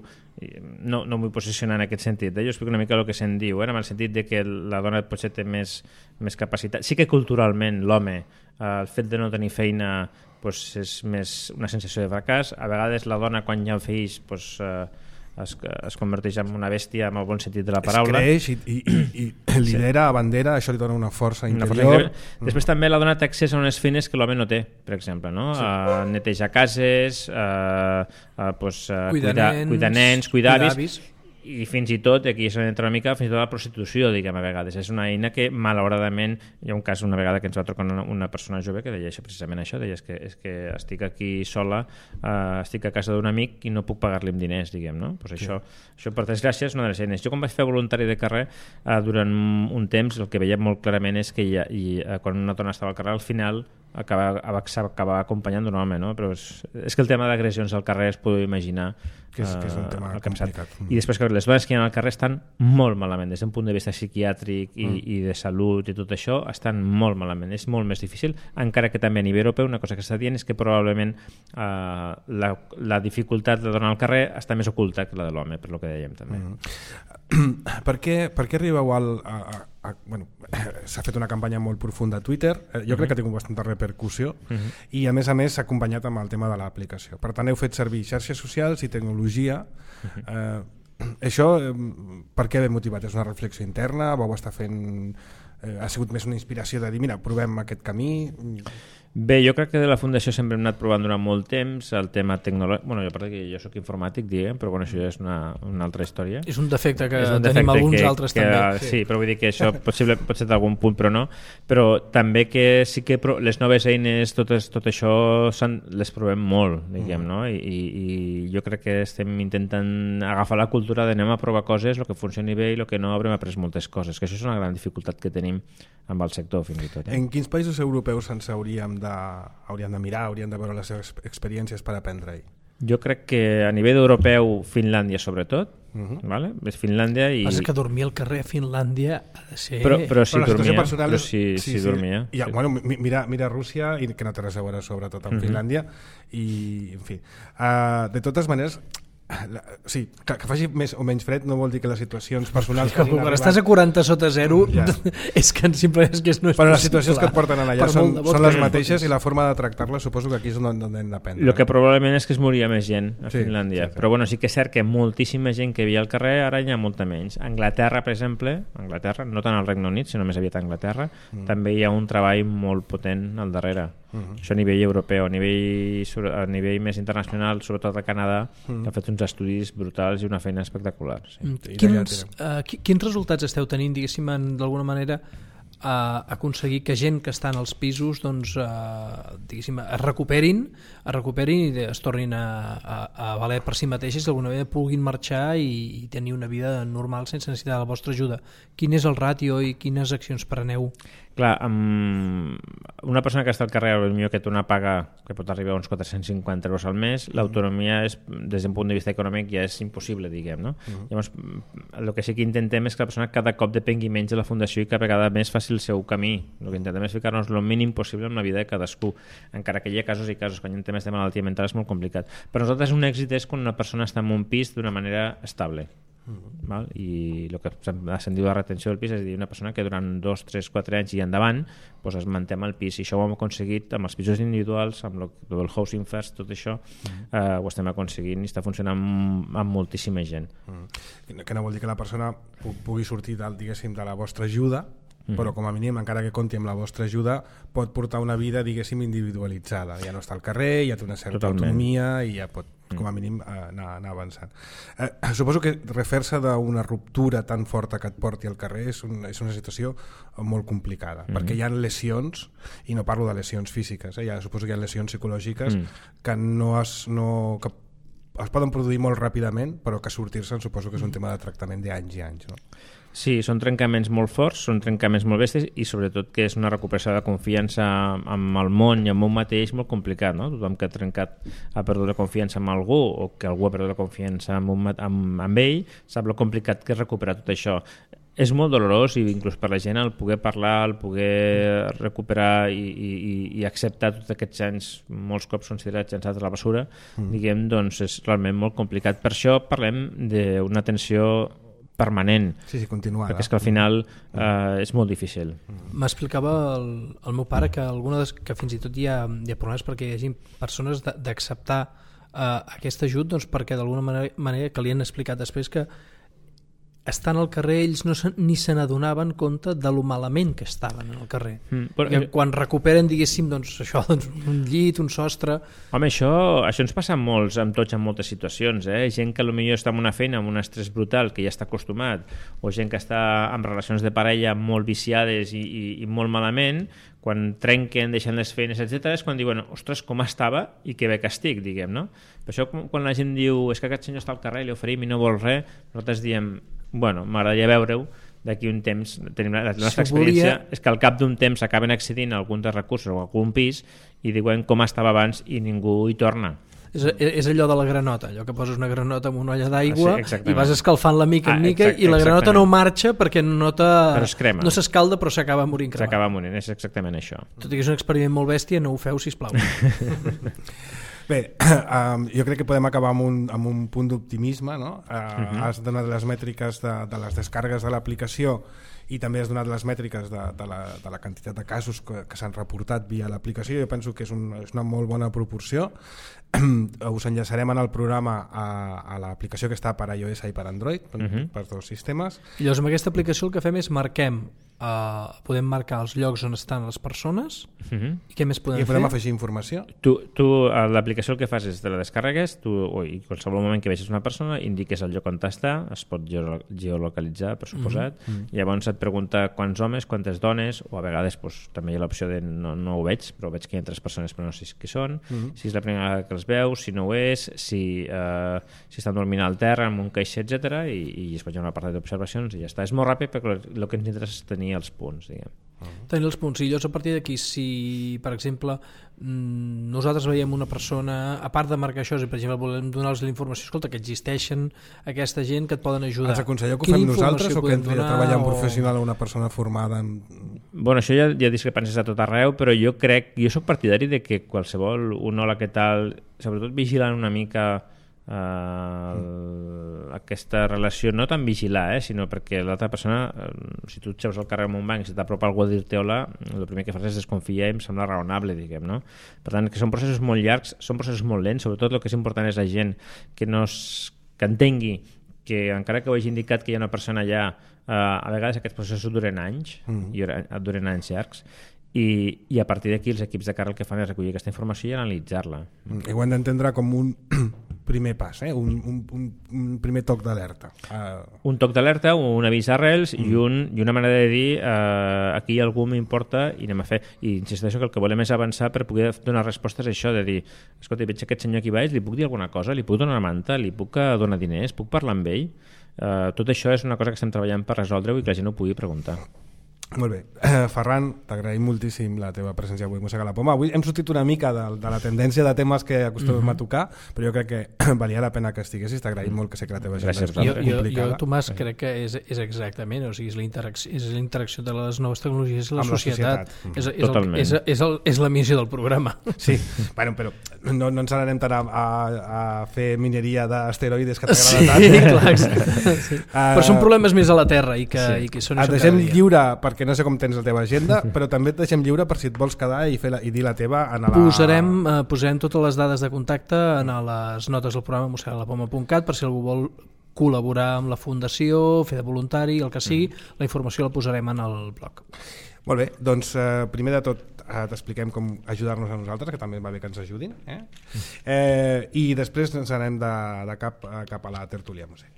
No, no m'ho vull posicionar en aquest sentit, eh? Jo explico una mica el que se'n diu, eh? En el sentit de que la dona potser té més, més capacitat. Sí que culturalment l'home, eh, el fet de no tenir feina pues, és més una sensació de fracàs. A vegades la dona, quan hi ha fills, pues, eh, es, es converteix en una bèstia en el bon sentit de la paraula. Es creix i, i, i, i lidera, sí. abandera, això li dona una força una interior. Força Després mm. també la dona té accés a unes feines que l'home no té, per exemple, no? Sí. Uh, netejar cases, uh, uh, pues, uh, cuidar, cuidar, nens, cuidar nens, cuidar avis, avis, i fins i tot, aquí s'entra una mica, fins i tot la prostitució, diguem, a vegades. És una eina que, malauradament, hi ha un cas una vegada que ens va trucar una, una persona jove que deia això, precisament això, deia és que, és que estic aquí sola, uh, estic a casa d'un amic i no puc pagar-li amb diners, diguem, no? Pues això, sí. això, per desgràcia, és una de les eines. Jo, quan vaig fer voluntari de carrer, uh, durant un temps, el que veiem molt clarament és que ja, i, uh, quan una dona estava al carrer, al final acaba, acaba acompanyant un home, no? Però és, és que el tema d'agressions al carrer es podeu imaginar que és, que és un tema complicat. I després que les dones que hi ha al carrer estan molt malament, des d'un punt de vista psiquiàtric i, mm. i de salut i tot això, estan molt malament, és molt més difícil, encara que també a nivell europeu una cosa que està dient és que probablement eh, la, la dificultat de donar al carrer està més oculta que la de l'home, per lo que dèiem també. Mm. Per què, per què arribeu al... A, a, a, bueno, s'ha fet una campanya molt profunda a Twitter, jo uh-huh. crec que ha tingut bastanta repercussió uh-huh. i a més a més s'ha acompanyat amb el tema de l'aplicació. Per tant, heu fet servir xarxes socials i tecnologia. Uh-huh. Eh, això, eh, per què ve motivat? És una reflexió interna? Vau estar fent... Eh, ha sigut més una inspiració de dir, mira, provem aquest camí? Bé, jo crec que de la Fundació sempre hem anat provant durant molt temps el tema tecnològic. Bueno, jo part que jo soc informàtic, diguem, però bueno, això ja és una, una altra història. És un defecte que un tenim defecte alguns que, altres que, també. Sí. sí, però vull dir que això possible, pot ser d'algun punt, però no. Però també que sí que pro, les noves eines, tot, es, tot això les provem molt, diguem, mm. no? I, i, I jo crec que estem intentant agafar la cultura d'anem a provar coses, el que funcioni bé i el que no haurem après moltes coses, que això és una gran dificultat que tenim amb el sector, fins i tot. Eh? En quins països europeus ens hauríem de, hauríem de mirar, hauríem de veure les seves experiències per aprendre-hi? Jo crec que a nivell europeu, Finlàndia sobretot, uh-huh. vale? És Finlàndia i... Passa que dormir al carrer a Finlàndia ha de ser... Però, però si però dormia, personal... però si, sí, si sí. dormia. I, sí. bueno, mira, mira Rússia, i que no té res a veure sobretot amb uh-huh. Finlàndia, i en fi. Uh, de totes maneres... La, sí, que, que faci més o menys fred no vol dir que les situacions personals que quan arribat... estàs a quaranta sota zero ja. és que simplement és que no és però possible. Les situacions que et porten allà són, són les mateixes i la forma de tractar-les suposo que aquí és on, on hem d'aprendre. El que probablement és que es moria més gent a sí, Finlàndia, sí, sí. però bueno, sí que és cert que moltíssima gent que hi havia al carrer ara hi ha molta menys. A Anglaterra, per exemple, Anglaterra, no tant al Regne Unit sinó més aviat a Anglaterra, mm. també hi ha un treball molt potent al darrere. Uh-huh. Això a nivell europeu, a nivell, a nivell més internacional, sobretot a Canadà, uh-huh. que ha fet uns estudis brutals i una feina espectacular. Sí. Quins, uh, quins resultats esteu tenint, diguéssim, d'alguna manera, a aconseguir que gent que està en els pisos doncs, uh, diguéssim, es recuperin, es recuperin i es tornin a, a, a valer per si mateixes, d'alguna manera puguin marxar i, i tenir una vida normal sense necessitar la vostra ajuda? Quin és el ràtio i quines accions preneu? Clar, amb una persona que està al carrer, potser que té una paga que pot arribar a uns quatre-cents cinquanta euros al mes, mm. l'autonomia és, des d'un punt de vista econòmic ja és impossible, diguem, no? Mm. Llavors, el que sí que intentem és que la persona cada cop depengui menys de la fundació i cada vegada més faci el seu camí. El que intentem és ficar-nos el mínim possible en la vida de cadascú, encara que hi ha casos i casos, quan hi ha temes de malaltia mental és molt complicat. Per nosaltres un èxit és quan una persona està en un pis d'una manera estable. Uh-huh. Val? I el que se'n diu la retenció del pis és dir, una persona que durant dos, tres, quatre anys i endavant pues es manté amb el pis, i això ho hem aconseguit amb els pisos individuals, amb el, el housing first, tot això uh-huh. eh, ho estem aconseguint i està funcionant amb, amb moltíssima gent. Uh-huh. Que no vol dir que la persona pugui sortir del, diguéssim, de la vostra ajuda, mm. però com a mínim, encara que compti amb la vostra ajuda, pot portar una vida, diguéssim, individualitzada. Ja no està al carrer, ja té una certa Totalment. autonomia i ja pot, com a mínim, anar, anar avançant. Eh, suposo que refer-se d'una ruptura tan forta que et porti al carrer és, un, és una situació molt complicada, mm. perquè hi ha lesions, i no parlo de lesions físiques, eh, ja suposo que hi ha lesions psicològiques mm. que no es... No, que es poden produir molt ràpidament, però que sortir-se'n suposo que és un tema de tractament d'anys i anys, no? Sí, són trencaments molt forts, són trencaments molt bèsties i sobretot que és una recuperació de confiança amb el món i amb un mateix molt complicat, no? Tothom que ha trencat ha perdut la confiança amb algú o que algú ha perdut la confiança amb, un, amb, amb ell, sap lo complicat que és recuperar tot això. És molt dolorós i inclús per la gent el poder parlar, el poder recuperar i, i, i acceptar tots aquests anys molts cops considerats llançats a la basura, mm. diguem, doncs és realment molt complicat. Per això parlem d'una atenció permanent, sí, sí, continuada, perquè és que al final eh, és molt difícil. M'explicava el, el meu pare que, alguna des, que fins i tot hi ha, hi ha problemes perquè hi hagi persones d'acceptar eh, aquest ajut, doncs perquè d'alguna manera, manera que li han explicat després que estant al carrer ells no se, ni se n'adonaven compte de lo malament que estaven al carrer. Mm, però, que quan recuperen, diguéssim, doncs, això, doncs, un llit, un sostre... Home, això, això ens passa molts, amb tots en moltes situacions. Eh? Gent que potser està en una feina amb un estrès brutal, que ja està acostumat, o gent que està en relacions de parella molt viciades i, i, i molt malament, quan trenquen, deixen les feines, etcètera, és quan diuen, ostres, com estava i que bé que estic, diguem, no? Per això, quan la gent diu, és que aquest senyor està al carrer, li oferim i no vol res, nosaltres diem, bueno, m'agradaria veure-ho, d'aquí un temps, tenim la, la nostra si experiència volia... és que al cap d'un temps acaben accedint a algun dels recursos o a algun pis i diuen com estava abans i ningú hi torna. És, és allò de la granota, allò que poses una granota en una olla d'aigua sí, i vas escalfant la mica en ah, mica exact, i la granota no marxa perquè no, no s'escalda però s'acaba morint cremat. S'acaba morint, és exactament això. Tot i que és un experiment molt bèstia, no ho feu, sisplau. Bé, um, jo crec que podem acabar amb un, amb un punt d'optimisme, no? Uh, uh-huh. Has donat les mètriques de, de les descargues de l'aplicació i també has donat les mètriques de, de, la, de la quantitat de casos que, que s'han reportat via l'aplicació. Jo penso que és, un, és una molt bona proporció. Us enllaçarem en el programa a, a l'aplicació que està per iOS i per Android, per, uh-huh. per dos sistemes. I llavors amb aquesta aplicació el que fem és marquem, uh, podem marcar els llocs on estan les persones uh-huh. i què més podem I podem fer? afegir informació. Tu, tu l'aplicació el que fas és te la descarregues, tu, o, i qualsevol moment que vegis una persona indiques el lloc on està, es pot geolocalitzar, per suposat, uh-huh. llavors et pregunta quants homes, quantes dones, o a vegades pues, també hi ha l'opció de no, no ho veig, però veig que hi ha tres persones però no sé qui són, uh-huh. si és la primera vegada que els veus, si no ho és, si, eh, si estan dormint al terra, en un caixer, etcètera, i, i es pot fer una part d'observacions i ja està. És molt ràpid perquè el que ens interessa és tenir els punts, diguem. Tenir els punts. I llavors a partir d'aquí, si per exemple nosaltres veiem una persona, a part de marcar això, si per exemple volem donar-los la informació, escolta, que existeixen aquesta gent que et poden ajudar. Els aconselleu que ho fem nosaltres o que entri a treballar un professional o una persona formada en... Bueno, això ja hi ha discrepàncies a tot arreu, però jo crec, jo soc partidari de que qualsevol, un hola, què tal, sobretot vigilant una mica eh, mm. aquesta relació, no tan vigilar, eh, sinó perquè l'altra persona, eh, si tu et seus al carrer en un banc i si t'apropa algú a dir-te hola, el primer que fas és desconfiar i em sembla raonable, diguem, no? Per tant, que són processos molt llargs, són processos molt lents, sobretot el que és important és la gent que, no es, que entengui que encara que ho hagi indicat que hi ha una persona allà, eh, a vegades aquests processos duren anys, mm. i duren anys llargs, i, i a partir d'aquí els equips de carrer el que fan és recollir aquesta informació i analitzar-la. Mm. I ho hem d'entendre com un primer pas, eh? un, un, un, un primer toc d'alerta. Uh... Un toc d'alerta, un avís d'arrels mm. i, un, i una manera de dir eh, aquí algú m'importa i anem a fer. I insisteixo que el que volem és avançar per poder donar respostes a això, de dir, escolta, veig aquest senyor aquí baix, li puc dir alguna cosa, li puc donar una manta, li puc donar diners, puc parlar amb ell? Uh, tot això és una cosa que estem treballant per resoldre-ho i que la gent ho pugui preguntar. Molt bé. Uh, Ferran, t'agraïm moltíssim la teva presència avui a Mossega la Poma. Avui hem sortit una mica de, de la tendència de temes que acostumem mm-hmm. a tocar, però jo crec que valia la pena que estiguessis. T'agraïm molt que sé que la teva agenda és complicada. Jo, jo, jo Tomàs, sí. crec que és, és exactament, o sigui, és la interacció, és la interacció de les noves tecnologies i la amb societat. La societat. És, és, el, és, és, el, és la missió del programa. Sí, bueno, però no, no ens n'anem tant a, a, a fer mineria d'asteroides que t'agrada sí, tant. Clar, sí. uh, però són problemes més a la Terra i que, sí. i que són et deixem lliure, perquè no sé com tens la teva agenda, però també et deixem lliure per si et vols quedar i, fer la, i dir la teva en la... Posarem, eh, posarem totes les dades de contacte en les notes del programa mossega la poma punt cat per si algú vol col·laborar amb la fundació, fer de voluntari, el que sigui, mm. la informació la posarem en el blog. Molt bé, doncs eh, primer de tot eh, t'expliquem com ajudar-nos a nosaltres, que també va bé que ens ajudin, eh? Eh, i després ens anem de, de cap, cap a la tertúlia Mossega.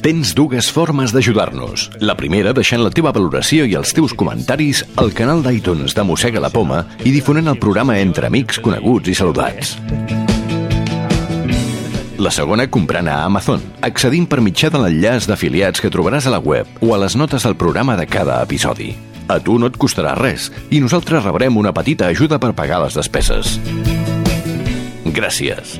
Tens dues formes d'ajudar-nos. La primera, deixant la teva valoració i els teus comentaris al canal d'iTunes de Mossega la Poma i difonent el programa entre amics, coneguts i saludats. La segona, comprant a Amazon, accedint per mitjà de l'enllaç d'afiliats que trobaràs a la web o a les notes del programa de cada episodi. A tu no et costarà res i nosaltres rebrem una petita ajuda per pagar les despeses. Gràcies.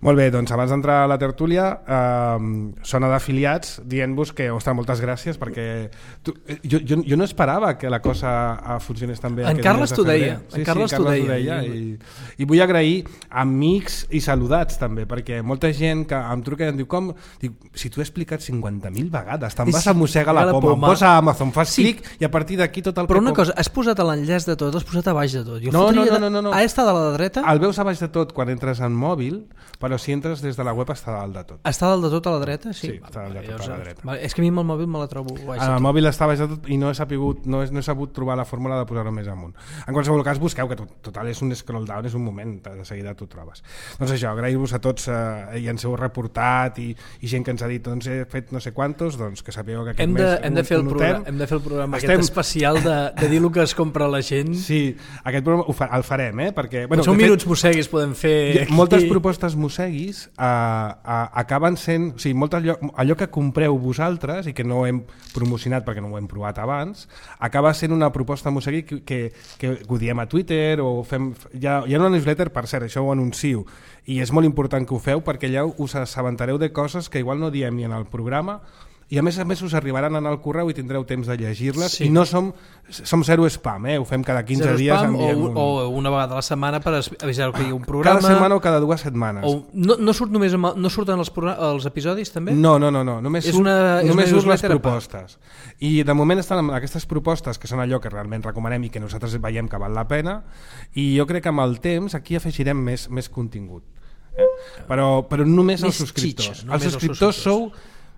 Molt bé, doncs abans d'entrar a la tertúlia, eh, sona d'afiliats dient-vos que, ostres, moltes gràcies, perquè tu, jo, jo, jo no esperava que la cosa funcionés tan bé. En Carles t'ho deia. Sí, en Carles sí, t'ho Carles deia. deia i, I vull agrair amics i saludats també, perquè molta gent que em truca i em diu, com? Dic, si t'ho he explicat cinquanta mil vegades, te'n vas a Mossega la Poma, em posa a Amazon, fas sí. clic i a partir d'aquí tot el Però que... una cosa, has posat l'enllaç de tot, has posat a baix de tot. Jo no, no, no, no, no, no. Ha estat a la dreta? El veus a baix de tot quan entres en mòbil, però si entres des de la web està dalt de tot. Està dalt de tot a la dreta? Sí, sí està dalt de tot a la dreta. Vale, és que a mi amb el mòbil me la trobo baix de tot. El mòbil està baix de tot i no he, sapigut, no, he, no he sabut trobar la fórmula de posar-ho més amunt. En qualsevol cas, busqueu, que tot, total és un scroll down, és un moment, de seguida t'ho trobes. Doncs això, agrair-vos a tots, eh, i ens heu reportat i, i gent que ens ha dit, doncs he fet no sé quantos, doncs que sapigueu que aquest hem de, mes hem de fer el notem, programa, hem de fer el programa estem... aquest especial de, de dir el que es compra la gent. Sí, aquest programa ho fa, el farem, eh? Perquè, bueno, són fet, minuts mosseguis podem fer... Moltes propostes mosseguis eh, eh, acaben sent, o sigui, molt allò, allò que compreu vosaltres i que no hem promocionat perquè no ho hem provat abans, acaba sent una proposta mossegui que, que, que ho diem a Twitter o fem, hi ha, hi ha una newsletter, per cert, això ho anuncio i és molt important que ho feu perquè allà us assabentareu de coses que igual no diem ni en el programa i a més a més us arribaran en el correu i tindreu temps de llegir-les, sí. I no som som zero spam, eh? Ho fem cada quinze zero dies spam, o, un... o una vegada a la setmana per avisar que hi ha un programa, cada setmana o cada dues setmanes o no, no, surt només amb, no surten els, els episodis també? No, no, no, no. només és surt, una, només és surt les propostes i de moment estan aquestes propostes que són allò que realment recomanem i que nosaltres veiem que val la pena i jo crec que amb el temps aquí afegirem més, més contingut, eh? però, però només els subscriptors xitxa, els subscriptors sou,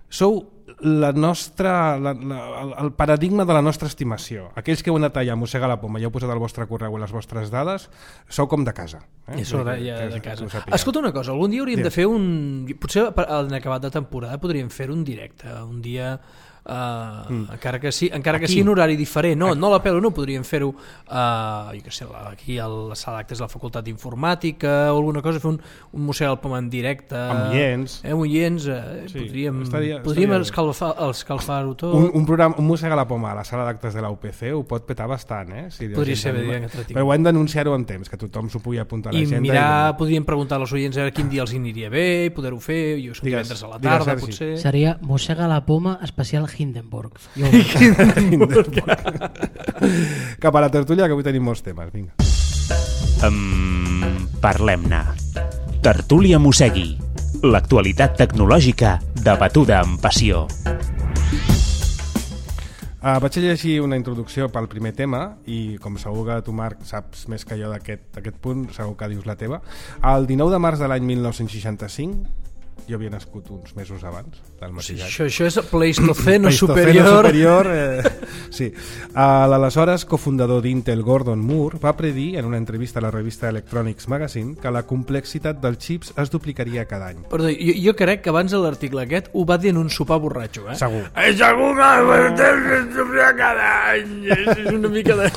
sou la nostra, la, la, el paradigma de la nostra estimació. Aquells que heu anat allà a Mossega la Poma i heu posat el vostre correu i les vostres dades, sou com de casa. Eh? És hora ja de casa. Escolta una cosa, algun dia hauríem sí. de fer un... Potser en acabat de temporada podríem fer un directe, un dia... Uh, mm. encara que sí, encara que sigui un horari diferent, no, no la pelo, no podríem fer-ho uh, jo què sé, aquí a la sala d'actes de la Facultat d'Informàtica o alguna cosa, fer un, un Mossega la Poma en directe amb oients, eh, oients eh, sí, podríem, estaria, podríem estaria escalfar, escalfar-ho tot. Un, un, programa, un Mossega la Poma a la sala d'actes de la U P C ho pot petar bastant, eh? Si podria ser bé, però ho hem d'anunciar-ho en temps, que tothom s'ho pugui apuntar a l'agenda. I mirar, i... podríem preguntar als oients a quin dia els aniria bé i poder-ho fer, jo som divendres a la tarda, digues, potser. Seria Mossega la Poma especial Hindenburg. Cap a la tertúlia, que avui tenim molts temes. Vinga. Um, Parlem-ne. Tertúlia Mossegui. L'actualitat tecnològica debatuda amb passió. Uh, vaig a llegir una introducció pel primer tema i com segur que tu, Marc, saps més que jo d'aquest punt, segur que dius la teva. El dinou de març de l'any mil nou-cents seixanta-cinc, jo havia nascut uns mesos abans del mateix any. Això, això és Pleistoceno, Pleistoceno superior. superior eh, sí. uh, L'aleshores cofundador d'Intel, Gordon Moore, va predir en una entrevista a la revista Electronics Magazine que la complexitat dels xips es duplicaria cada any. Perdó, jo, jo crec que abans de l'article aquest ho va dir en un sopar borratxo, eh? Segur. Eh, segur que es duplica cada any. És una mica de...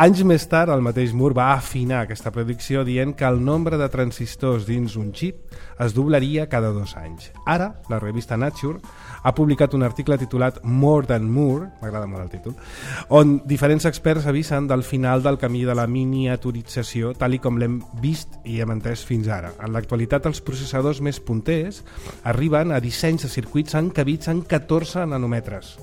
Anys més tard, el mateix Moore va afinar aquesta predicció dient que el nombre de transistors dins un xip es doblaria cada dos anys. Ara, la revista Nature ha publicat un article titulat More Than Moore, m'agrada molt el títol, on diferents experts avisen del final del camí de la miniaturització tal i com l'hem vist i hem entès fins ara. En l'actualitat, els processadors més punters arriben a dissenys de circuits encabits en catorze nanòmetres.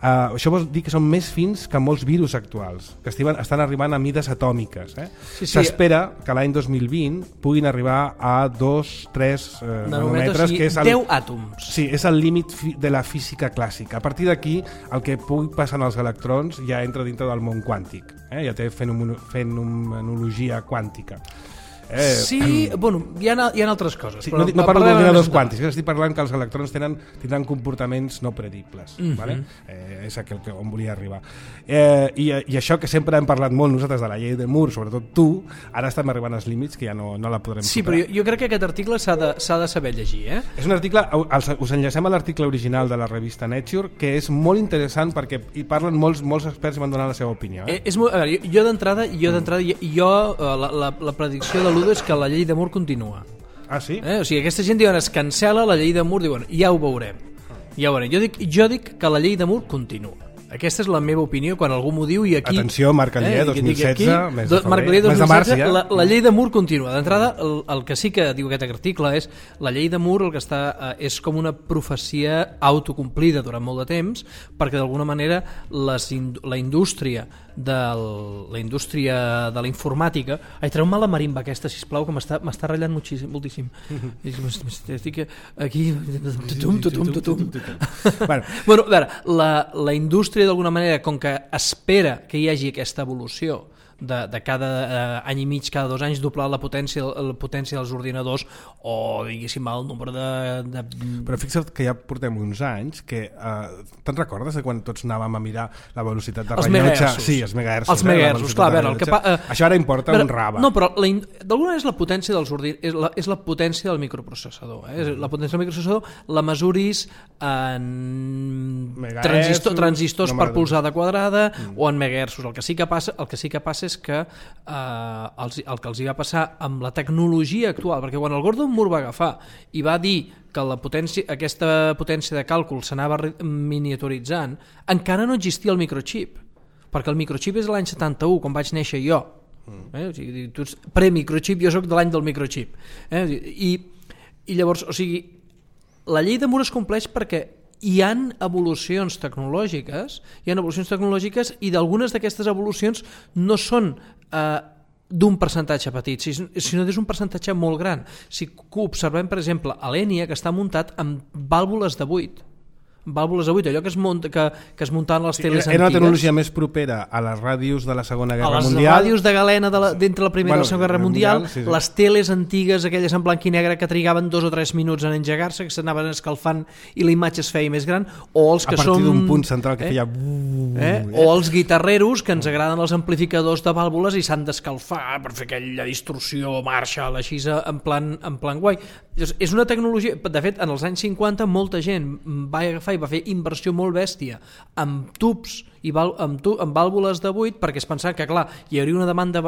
Uh, això vol dir que són més fins que molts virus actuals, que estiven, estan arribant a mides atòmiques. Eh? Sí, sí. S'espera que l'any dos mil vint puguin arribar a dos tres uh, nanòmetres, que és el, deu àtoms. Sí, és el límit de la física clàssica. A partir d'aquí, el que pugui passar als electrons ja entra dintre del món quàntic, eh? Ja té fenomenologia quàntica. Eh, Sí, bueno, hi ha, hi ha altres coses. Sí, però no, no parlo parlem d'ordinadors més quàntics, estic parlant que els electrons tenen, tindran comportaments no predibles. Mhm. Vale? Eh, és aquell que on volia arribar. Eh, i, I això que sempre hem parlat molt nosaltres de la llei de Moore, sobretot tu, ara estem arribant als límits que ja no, no la podrem Sí, superar. però jo, jo crec que aquest article s'ha de, s'ha de saber llegir, eh? És un article, els, us enllacem a l'article original de la revista Nature, que és molt interessant perquè hi parlen molts, molts experts i van donar la seva opinió. Eh? Eh, és molt, a veure, jo, jo d'entrada, jo, d'entrada, jo, jo eh, la, la, la predicció de l'Udo és que la llei de Moore continua. Ah, sí? Eh? O sigui, aquesta gent diuen es cancela la llei de Moore, diuen ja ho veurem. Ja ho veurem. Jo dic, jo dic que la llei de Moore continua. Aquesta és la meva opinió quan algú m'ho diu i aquí... Atenció, Marc Alier, dos mil setze, aquí, mes de febrer, Marc Alier, dos mes mil setze, de març, ja. la, la llei de Moore continua. D'entrada, el, el que sí que diu aquest article és la llei de Moore el que està eh, és com una profecia autocomplida durant molt de temps perquè d'alguna manera les, la indústria del, la indústria de la informàtica... Ai, treu-me la marimba aquesta, sisplau, que m'està m'està ratllant moltíssim. moltíssim. Estic aquí... Tutum, tutum, tutum. Bueno, Bueno, a veure, la, la indústria d'alguna manera, com que espera que hi hagi aquesta evolució de, de cada eh, any i mig, cada dos anys, doblar la potència, la potència dels ordinadors o, diguéssim, el nombre de... de... però fixa't que ja portem uns anys que... Eh, te'n recordes de quan tots anàvem a mirar la velocitat de Els rellotge? megahertzos. Sí, els megahertzos. Els eh, la megahertzos, velocitat clar, a de veure, el que rellotge. pa- eh, Això ara importa Però- un rave. No, però la in- d'alguna manera és la potència dels ordinadors, és la, és la potència del microprocessador. Eh? La potència del microprocessador la mesuris en Megahertzos, transistor, transistors no per m'agrada. polzada quadrada mm. o en megahertzos. El que sí que passa, el que sí que passa és que eh, els, el que els hi va passar amb la tecnologia actual, perquè quan el Gordon Moore va agafar i va dir que la potència, aquesta potència de càlcul s'anava re- miniaturitzant, encara no existia el microchip, perquè el microchip és de l'any setanta-u, quan vaig néixer jo. Eh? O sigui, tu ets pre-microchip, jo sóc de l'any del microchip. Eh? I, I llavors, o sigui, la llei de Moore es compleix perquè hi han evolucions tecnològiques, hi han evolucions tecnològiques i d'algunes d'aquestes evolucions no són eh, d'un percentatge petit, sinó és un percentatge molt gran. Si observem, per exemple, a l'Enia, que està muntat amb vàlvules de buit, vàlvules de buit, allò que es, munta, que, que es muntaven les teles Era una antigues. tecnologia més propera a les ràdios de la Segona A Guerra les Mundial. ràdios de galena de la, d'entre la Primera Bueno, i la Segona Guerra Mundial, mundial, sí, sí. les teles antigues, aquelles en blanc i negre que trigaven dos o tres minuts en engegar-se, que s'anaven escalfant i la imatge es feia més gran, o els A que partir són... d'un punt central que eh? feia... Eh? O els guitarreros que ens agraden els amplificadors de vàlvules i s'han d'escalfar per fer aquella distorsió Marshall així en plan, en plan guai. És una tecnologia, de fet en els anys cinquanta molta gent va agafar i va fer inversió molt bèstia amb tubs i val, amb, tu, amb vàlvules de buit perquè es pensava que clar, hi hauria una demanda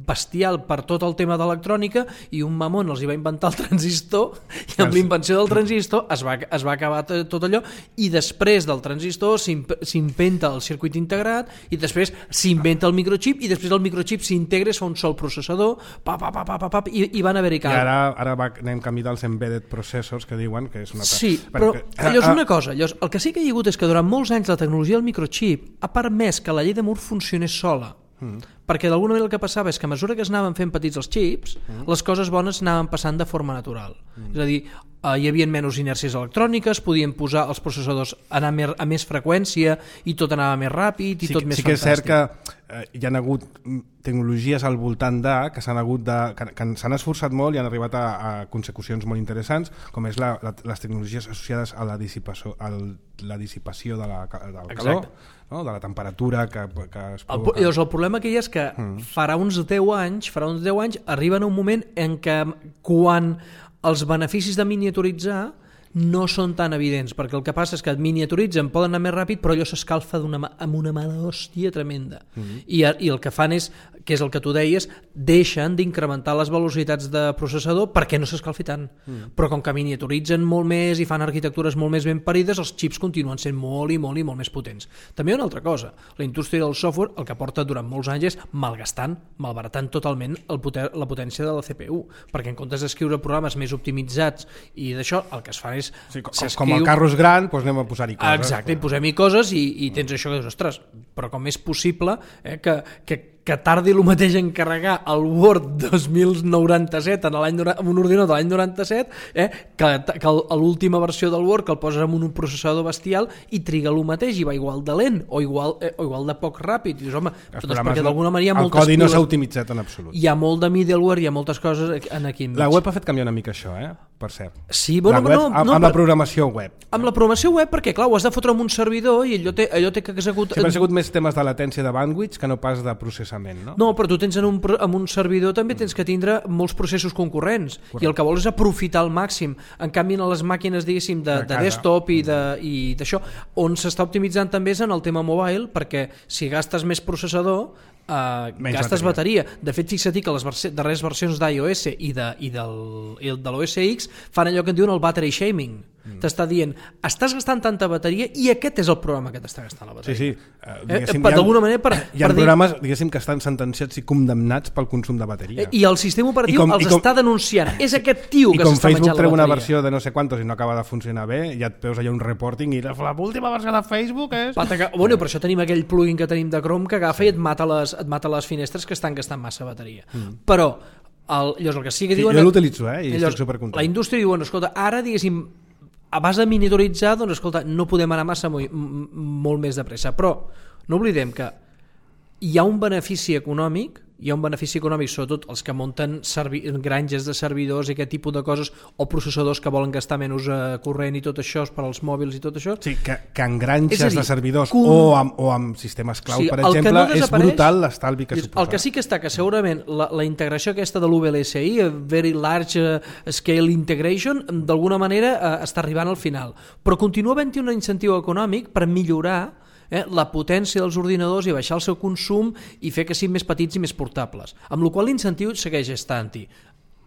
bestial per tot el tema d'electrònica i un mamón els hi va inventar el transistor i amb l'invenció del transistor es va, es va acabar tot allò i després del transistor s'inventa el circuit integrat i després s'inventa el microchip i després el microchip s'integra i es fa un sol processador pa, pa, pa, pa, pa, pa, i, i van haver-hi I ara, ara va, anem camí dels embedded processors que diuen que és una... Sí, però allò és una cosa, allò és, el que sí que hi ha hagut és que durant molts anys la tecnologia del microchip ha permès que la llei de Moore funcionés sola. Mm. Perquè d'alguna manera el que passava és que a mesura que es anaven fent petits els xips, mm. les coses bones anaven passant de forma natural. Mm. És a dir, eh, hi havia menys inèrcies electròniques, podien posar els processadors anar més, a més freqüència i tot anava més ràpid i sí, tot més sí que fantàstic. És cert que eh, hi ha hagut tecnologies al voltant de que s'han hagut de, que, que s'han esforçat molt i han arribat a, a consecucions molt interessants, com és la, la, les tecnologies associades a la dissipació, a la dissipació de la, del calor, no? De la temperatura que, que es provoca. El, llavors, el problema que hi ha és que mm. farà uns deu anys, farà uns deu anys arriben a un moment en què quan els beneficis de miniaturitzar no són tan evidents, perquè el que passa és que et miniaturitzen, poden anar més ràpid, però allò s'escalfa amb una mà d'hòstia tremenda. Mm-hmm. I, I el que fan és, que és el que tu deies, deixen d'incrementar les velocitats de processador perquè no s'escalfi tant. Mm. Però com que miniaturitzen molt més i fan arquitectures molt més ben parides, els xips continuen sent molt i molt i molt més potents. També hi ha una altra cosa, la indústria del software el que porta durant molts anys és malgastant, malbaratant totalment el poter, la potència de la C P U, perquè en comptes d'escriure programes més optimitzats i d'això, el que es fa és sí, com, com el carro és gran, doncs anem a posar-hi coses. Exacte, i posem-hi coses i, i tens això que dius, ostres, però com és possible eh, que, que que tardi el mateix en carregar el Word dos mil noranta-set en, l'any, en un ordinador de l'any noranta-set, eh, que, que l'última versió del Word que el poses en un processador bestial i triga el mateix i va igual de lent o igual, eh, o igual de poc ràpid. I dius, home, doncs perquè d'alguna manera hi ha el moltes codi no piles, s'ha optimitzat en absolut. hi ha molt de middleware, hi ha moltes coses en aquí enmig. La web ha fet canviar una mica això, eh? Per cert. Sí, bueno, la web, no, amb, no, amb la per... programació web. Amb la programació web, perquè clar, ho has de fotre en un servidor i allò té, allò té que executar... Sempre ha sigut més temes de latència de bandwidth que no pas de processament, no? No, però tu tens en un, en un servidor també tens que tindre molts processos concurrents. Correcte. I el que vols és aprofitar al màxim. En canvi, en les màquines, diguéssim, de, de, de desktop i d'això, on s'està optimitzant també és en el tema mobile, perquè si gastes més processador, Uh, gastes bateria. bateria. De fet, fixa-t'hi que les versi darreres versions d'iOS i, de, i, del, i de l'O S X fan allò que en diuen el battery shaming. Mm. T'està dient, estàs gastant tanta bateria i aquest és el programa que t'està gastant la bateria. Sí, sí. Uh, eh, D'alguna manera per, hi ha per programes, dir... diguéssim, que estan sentenciats i condemnats pel consum de bateria. I el sistema operatiu com, els com, està denunciant. És aquest tio que s'està menjant la bateria. I com Facebook treu una versió de no sé quantos i no acaba de funcionar bé, ja et veus allà un reporting i l'última versió de Facebook és... Pataca... Bueno, per això tenim aquell plugin que tenim de Chrome que agafa i et mata les, et mata les finestres que estan gastant massa bateria. Mm. Però el, llavors el que sí que diuen... Sí, jo l'utilitzo, eh? I llavors, estic supercontent. La indústria diu, bueno, escolta, ara, diguéssim, a base de monitoritzar, doncs, escolta, no podem anar massa molt, molt més de pressa. Però no oblidem que hi ha un benefici econòmic, hi ha un benefici econòmic, sobretot els que munten granges de servidors i aquest tipus de coses, o processadors que volen gastar menys eh, corrent i tot això, per als mòbils i tot això. Sí, que, que en granges dir, de servidors com... o, amb, o amb sistemes cloud, sí, per exemple, no és brutal l'estalvi que suposa. El que sí que està, que segurament la, la integració aquesta de l'U V L S I, Very Large Scale Integration, d'alguna manera eh, està arribant al final. Però continua havent-hi un incentiu econòmic per millorar Eh, la potència dels ordinadors i baixar el seu consum i fer que siguin més petits i més portables. Amb la qual l'incentiu segueix estant-hi.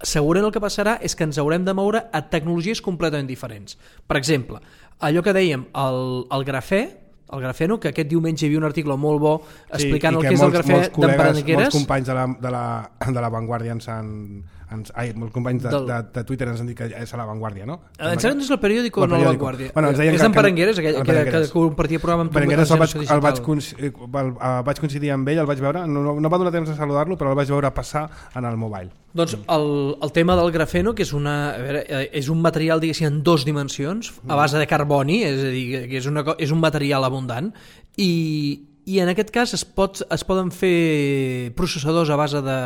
Segurament el que passarà és que ens haurem de moure a tecnologies completament diferents. Per exemple, allò que dèiem, el, el grafè, el grafeno, que aquest diumenge hi havia un article molt bo explicant sí, el que és molts, el grafè d'Emprenegueres. Molts companys de la, de la, de la Vanguardia ens han... Ens, ai, molts companys de, de, de Twitter ens han dit que és a la Vanguardia, no? En sèrio, és el periòdico o no la Vanguardia? Bueno, és d'Emperengueres, aquell que, que, que compartia programa amb Perengueres el, vaig, el, vaig, el, el vaig coincidir amb ell, el vaig veure, no, no va donar temps de saludar-lo, però el vaig veure passar en el mobile. Doncs el, el tema del grafeno, que és, una, a veure, és un material, diguéssim, en dues dimensions, a base de carboni, és a dir, que és, una, és un material abundant, i... I en aquest cas es, pot, es poden fer processadors a base de,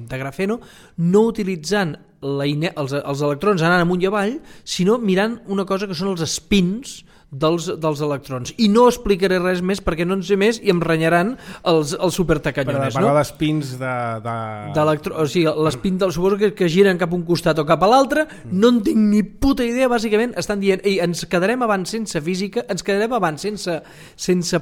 de grafeno no utilitzant la ine, els, els electrons anant amunt i avall, sinó mirant una cosa que són els spins dels, dels electrons. I no explicaré res més perquè no en sé més i em renyaran els, els supertacanyones. Però de parlar no? d'espins de... de... O sigui, l'espin del suposo que, que giren cap a un costat o cap a l'altre, mm. no en tinc ni puta idea, bàsicament estan dient, ei, ens quedarem abans sense física, ens quedarem abans sense, sense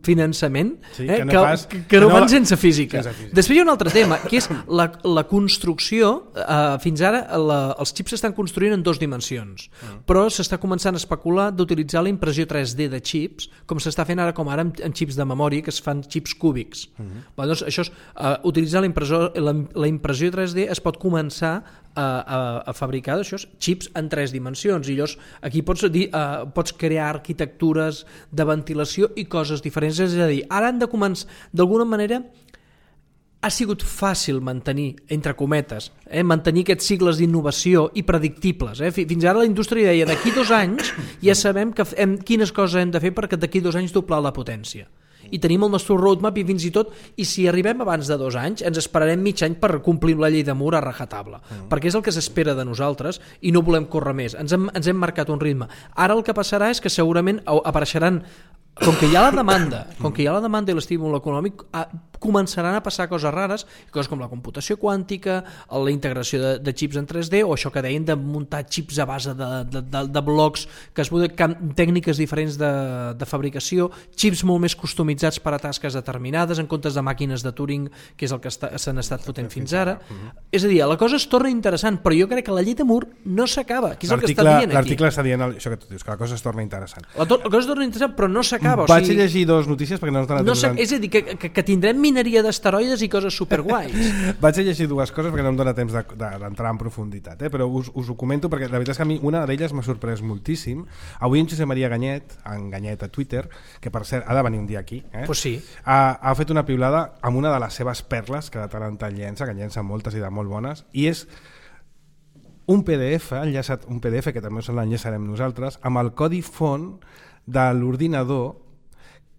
finançament, sí, eh? que no, que, pas, que, que no, no van sense física. sense física. Després hi ha un altre tema, que és la, la construcció, eh, fins ara la, els xips s'estan construint en dues dimensions, mm. però s'està començant a especular d'utilitzar la impressió tres D de xips, com s'està fent ara com ara amb, amb xips de memòria, que es fan xips cúbics. Uh-huh. Bé, doncs això és, uh, utilitzar la impressió, la, la impressió tres D es pot començar a, a, a fabricar això, xips en tres dimensions, i llavors aquí pots, dir, uh, pots crear arquitectures de ventilació i coses diferents, és a dir, ara han de començar, d'alguna manera ha sigut fàcil mantenir, entre cometes, eh, mantenir aquests cicles d'innovació i predictibles. Eh? Fins ara la indústria deia, d'aquí dos anys ja sabem que hem, quines coses hem de fer perquè d'aquí dos anys doblar la potència. I tenim el nostre roadmap i fins i tot, i si arribem abans de dos anys, ens esperarem mig any per complir la llei de Moore a rajatabla, mm. perquè és el que s'espera de nosaltres i no volem córrer més. Ens hem, ens hem marcat un ritme. Ara el que passarà és que segurament apareixeran, com que hi ha la demanda, com que hi ha la demanda i l'estímul econòmic, començaran a passar coses rares, coses com la computació quàntica, la integració de, de xips en tres D, o això que deien de muntar xips a base de, de, de, de blocs, que es poden tècniques diferents de, de fabricació, xips molt més customitzats per a tasques determinades, en comptes de màquines de Turing, que és el que s'han estat fotent fins ara. És a dir, la cosa es torna interessant, però jo crec que la llei de Moore no s'acaba, que és el que està dient aquí. L'article està dient això que tu dius, que la cosa es torna interessant. La, to la cosa es torna interessant, però no s'acaba acaba. Vaig o sigui, llegir dos notícies perquè no ens dona no temps. sé, és a dir, que, que, que tindrem mineria d'asteroides i coses superguais. Vaig llegir dues coses perquè no em dona temps de- de- d'entrar en profunditat, eh? Però us, us ho comento perquè la veritat és que a mi una d'elles m'ha sorprès moltíssim. Avui en Josep Maria Ganyet, en Ganyet a Twitter, que per cert ha de venir un dia aquí, eh? Pues sí. ha, ha fet una piulada amb una de les seves perles que de tant en tant llença, que llença moltes i de molt bones, i és un P D F, enllaçat, un P D F que també us l'enllaçarem nosaltres, amb el codi font de l'ordinador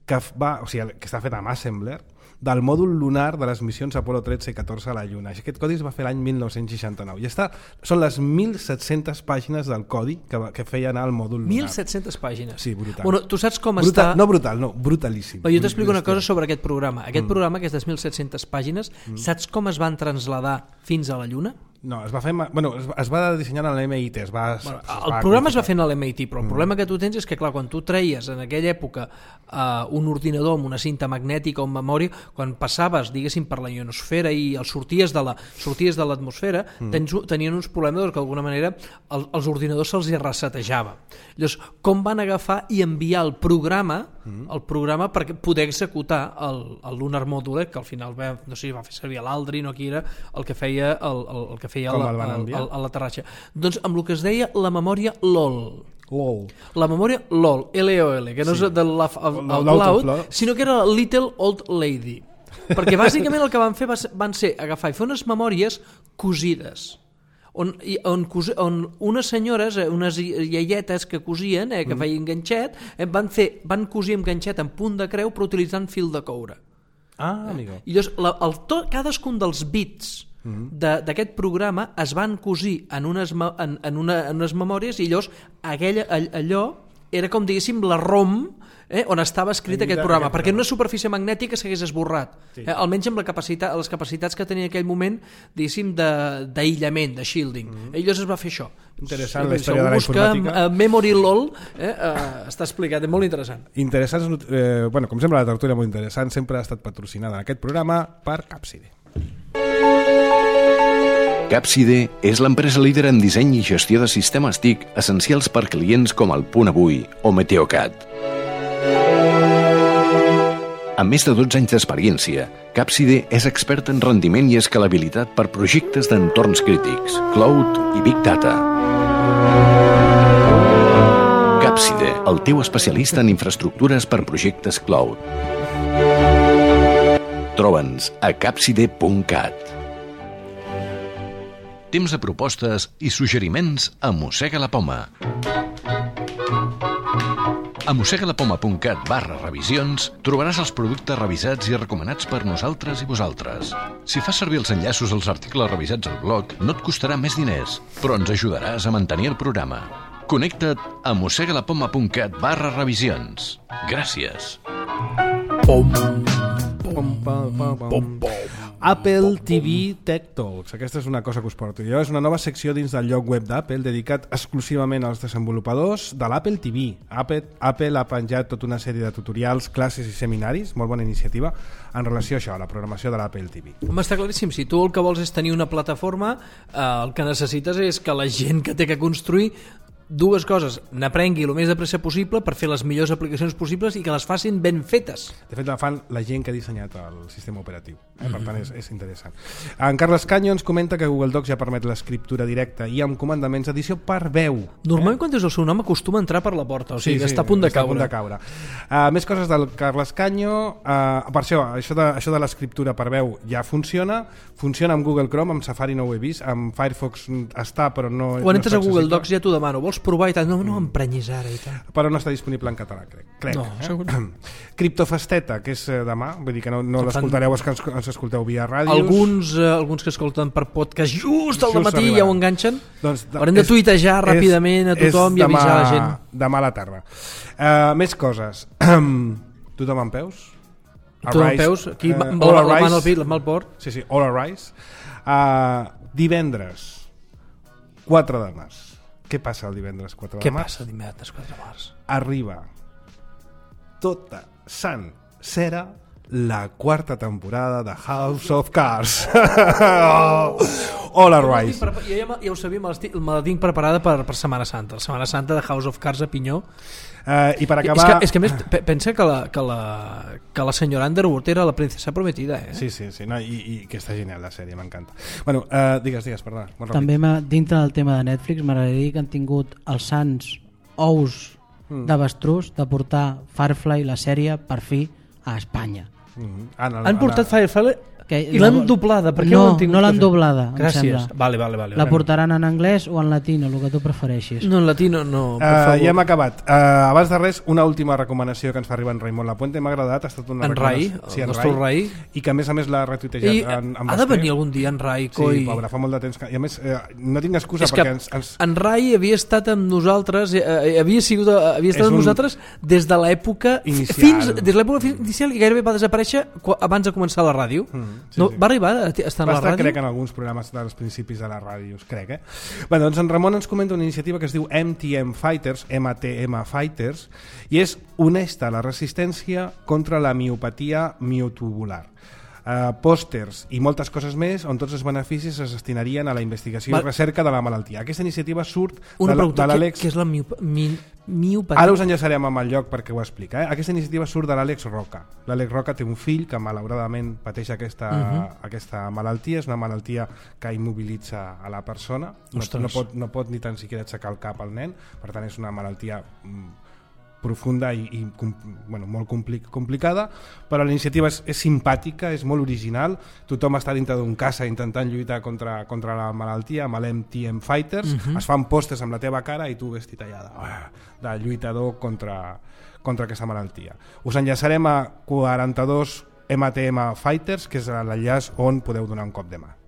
que, va, o sigui, que està fet amb Assembler, del mòdul lunar de les missions Apolo tretze i catorze a la Lluna. Aquest codi es va fer l'any mil nou-cents seixanta-nou. I està, són les mil set-centes pàgines del codi que, va, que feia anar al mòdul lunar. mil set-centes pàgines. Sí, brutal. Bueno, tu saps com Brutal, està... no brutal, no, brutalíssim. Però jo t'explico una cosa sobre aquest programa. Aquest mm. programa, aquestes mil set-centes pàgines, mm. saps com es van traslladar fins a la Lluna? No, es va fer, bueno, es va, es va dissenyar a l'M I T. Es va, Bueno, es el va programa es va configurar. fer a l'M I T, però el problema que tu tens és que, clar, quan tu treies en aquella època uh, un ordinador amb una cinta magnètica o amb memòria, quan passaves, diguéssim, per la ionosfera i el sorties de la sorties de l'atmosfera, mm. tens, tenien uns problemes que d'alguna manera el, els ordinadors se'ls resetejava. Llavors, com van agafar i enviar el programa mm. el programa perquè poder executar el, el Lunar Module, que al final va, no sé, va fer servir l'Aldrin o qui era el que feia el, el, el que feia Com la, el van enviar? el, el, l'aterratge. Doncs amb el que es deia la memòria LOL. LOL. La memòria LOL, L O L, que no Sí. és de la, el, el L'Out of Cloud, Love. sinó que era la Little Old Lady. Perquè bàsicament el que van fer va ser, van ser agafar i fer unes memòries cosides. On, i- on, cosi- on unes senyores, eh, unes iaietes que cosien, eh, que Mm. feien ganxet, eh, van, fer, van cosir amb ganxet en punt de creu però utilitzant fil de coure. Ah, amigo. I llavors, la, el to, cadascun dels bits de- d'aquest programa es van cosir en unes, me- en, en, una, en unes memòries i llavors aquella, all- allò era com diguéssim la ROM eh, on estava escrit Allí aquest de- programa, aquest perquè en programa. una superfície magnètica s'hagués esborrat, Sí. eh, almenys amb la capacitat, les capacitats que tenia en aquell moment, diguéssim, de- d'aïllament, de, de shielding. Mm -hmm. I llavors es va fer això. Interessant Sí, la història de la busca, informàtica. eh, Memory LOL eh, eh, està explicat, és molt interessant. Interessants, eh, bueno, com sempre la tertúlia molt interessant, sempre ha estat patrocinada en aquest programa per Capside. Capside és l'empresa líder en disseny i gestió de sistemes T I C essencials per clients com el Punt Avui o Meteocat. Amb més de dotze anys d'experiència, Capside és expert en rendiment i escalabilitat per projectes d'entorns crítics, cloud i big data. Capside, el teu especialista en infraestructures per projectes cloud. Troba'ns a capside punt cat. Temps de propostes i suggeriments a Mossega la Poma. A mossegalapoma punt cat barra revisions trobaràs els productes revisats i recomanats per nosaltres i vosaltres. Si fas servir els enllaços als articles revisats al blog, no et costarà més diners, però ens ajudaràs a mantenir el programa. Connecta't a mossegalapoma punt cat barra revisions. Gràcies. Pom, pom, pom, pom. Apple T V Tech Talks. Aquesta és una cosa que us porto jo. És una nova secció dins del lloc web d'Apple dedicat exclusivament als desenvolupadors de l'Apple T V. Apple, Apple ha penjat tota una sèrie de tutorials, classes i seminaris, molt bona iniciativa, en relació a això, a la programació de l'Apple T V. Home, està claríssim, si tu el que vols és tenir una plataforma, eh, el que necessites és que la gent que té que construir dues coses, n'aprengui el més de pressa possible per fer les millors aplicacions possibles i que les facin ben fetes. De fet, la fan la gent que ha dissenyat el sistema operatiu. Eh? Per tant, és, és interessant. En Carles Canyo ens comenta que Google Docs ja permet l'escriptura directa i amb comandaments d'edició per veu. Normalment, quan dius el seu nom, acostuma a entrar per la porta, o sigui, que està a punt de està a caure. punt de caure. Uh, més coses del Carles Canyo. Uh, per això, això de, això de l'escriptura per veu ja funciona. Funciona amb Google Chrome, amb Safari no ho he vist, amb Firefox està, però no... Quan no entres està a Google accessible. Docs ja t'ho demano, vols provar i tal? No, no emprenyis ara i tal. Però no està disponible en català, crec. crec No, eh? segur. Criptofesteta, que és eh, demà, vull dir que no, no Que fan- l'escoltareu els que ens, ens escolteu via ràdios. Alguns, eh, alguns que escolten per podcast just al Just matí arribaran. ja ho enganxen. Doncs, Haurem de tuitejar ràpidament a tothom i avisar la gent. Demà a la tarda. Uh, més coses. Tothom en peus? Tu en Arise, peus, aquí, eh, amb all la, la arise. mà al pit, la mà al port. Sí, sí, all arise. Uh, divendres, quatre de març. Què passa el divendres quatre de Què març? passa dimecres quatre de març? Arriba tota sencera la quarta temporada de House of Cards. All Arise. Jo ja, ja ho sabia, me, me la tinc preparada per, per Setmana Santa. La Setmana Santa de House of Cards a Pinyó. Uh, I per acabar... És que, és que més, pensa que la, que, la, que la senyora Underwood era la princesa prometida, eh? Sí, sí, sí, no, i, i que està genial la sèrie, m'encanta. Bueno, uh, digues, digues, perdona. També dintre del tema de Netflix m'agradaria dir que han tingut els sants ous mm. d'avestrús de portar Firefly, la sèrie, per fi, a Espanya. Mm-hmm. Anna, han portat Anna... Firefly que i l'han doblada? Per què no, ho han tingut no l'han doblada, em Gràcies. sembla. Vale, vale, vale, la vale. portaran en anglès o en latino, el que tu prefereixis. No, en latino no, per uh, favor. Ja hem acabat. Uh, abans de res, una última recomanació que ens fa arribar en Raimon Lapuente. M'ha agradat, ha estat una en Rai, sí, el en nostre Rai. I que a més a més l'ha retuitejat. I en, en ha de venir algun dia en Rai, coi. Sí, pobre, fa molt de temps que... I a més, eh, no tinc excusa és perquè... Ens, ens... en Rai havia estat amb nosaltres, eh, havia, sigut, havia estat és amb un... nosaltres des de l'època inicial. Fins, des de l'època inicial i gairebé va desaparèixer abans de començar la ràdio. Mm, sí, no, sí. Va arribar a estar en la ràdio? Crec en alguns programes dels principis de les ràdios, crec, eh? Bé, doncs en Ramon ens comenta una iniciativa que es diu M T M Fighters, M T M Fighters, i és honesta la resistència contra la miopatia miotubular. Uh, pòsters i moltes coses més on tots els beneficis es destinarien a la investigació Val. i recerca de la malaltia. Aquesta iniciativa surt una de, de l'Àlex... Què és la miop... mi... miopatia? Ara us enllaçarem amb el lloc perquè ho explica. Eh? Aquesta iniciativa surt de l'Àlex Roca. L'Àlex Roca té un fill que malauradament pateix aquesta, uh -huh. aquesta malaltia. És una malaltia que immobilitza a la persona. No, no, pot, no pot ni tan siquiera aixecar el cap al nen. Per tant, és una malaltia... Mm, profunda i, i bueno, molt compli complicada, però la iniciativa és, és simpàtica, és molt original, tothom està dintre d'un casa intentant lluitar contra, contra la malaltia amb l'M T M Fighters, uh-huh. es fan postes amb la teva cara i tu vestit allà de, de lluitador contra, contra aquesta malaltia. Us enllaçarem a quaranta-dos M T M Fighters, que és l'enllaç on podeu donar un cop de mà.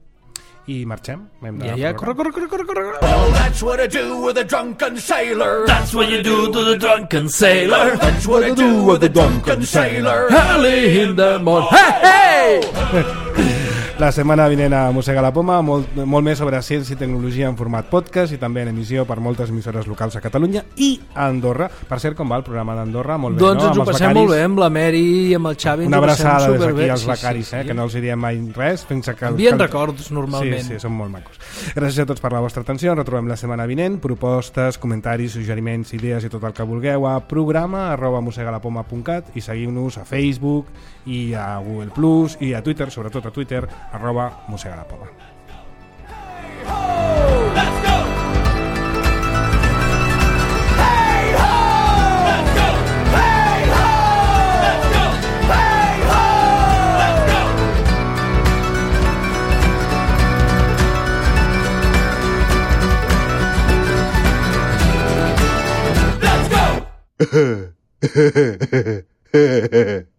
I marxem. Ja, ja, corre, corre, corre, corre, corre. Well, that's what I do with a drunken sailor. That's what you do to the drunken sailor. That's what I do with a drunken sailor. Early in the morning. Hey, hey! La setmana vinent a Mossega la Poma, molt, molt més sobre ciència i tecnologia en format podcast i també en emissió per moltes emissores locals a Catalunya i a Andorra. Per cert, com va el programa d'Andorra? Molt bé, doncs no? ens ho passem molt bé amb la Meri i amb el Xavi. Una abraçada des d'aquí als sí, becaris, sí, eh, sí. que no els diriem mai res. Fins que envien que... records normalment. Sí, sí, són molt macos. Gràcies a tots per la vostra atenció. Ens retrobem la setmana vinent. Propostes, comentaris, suggeriments, idees i tot el que vulgueu a programa arroba mossegalapoma punt cat i seguiu-nos a Facebook i a Google Plus i a Twitter, sobretot a Twitter, arroba Mossega la Poma. Hey ho, let's go! Hey ho, let's go! Hey ho, let's go! Hey ho, let's go! Let's go!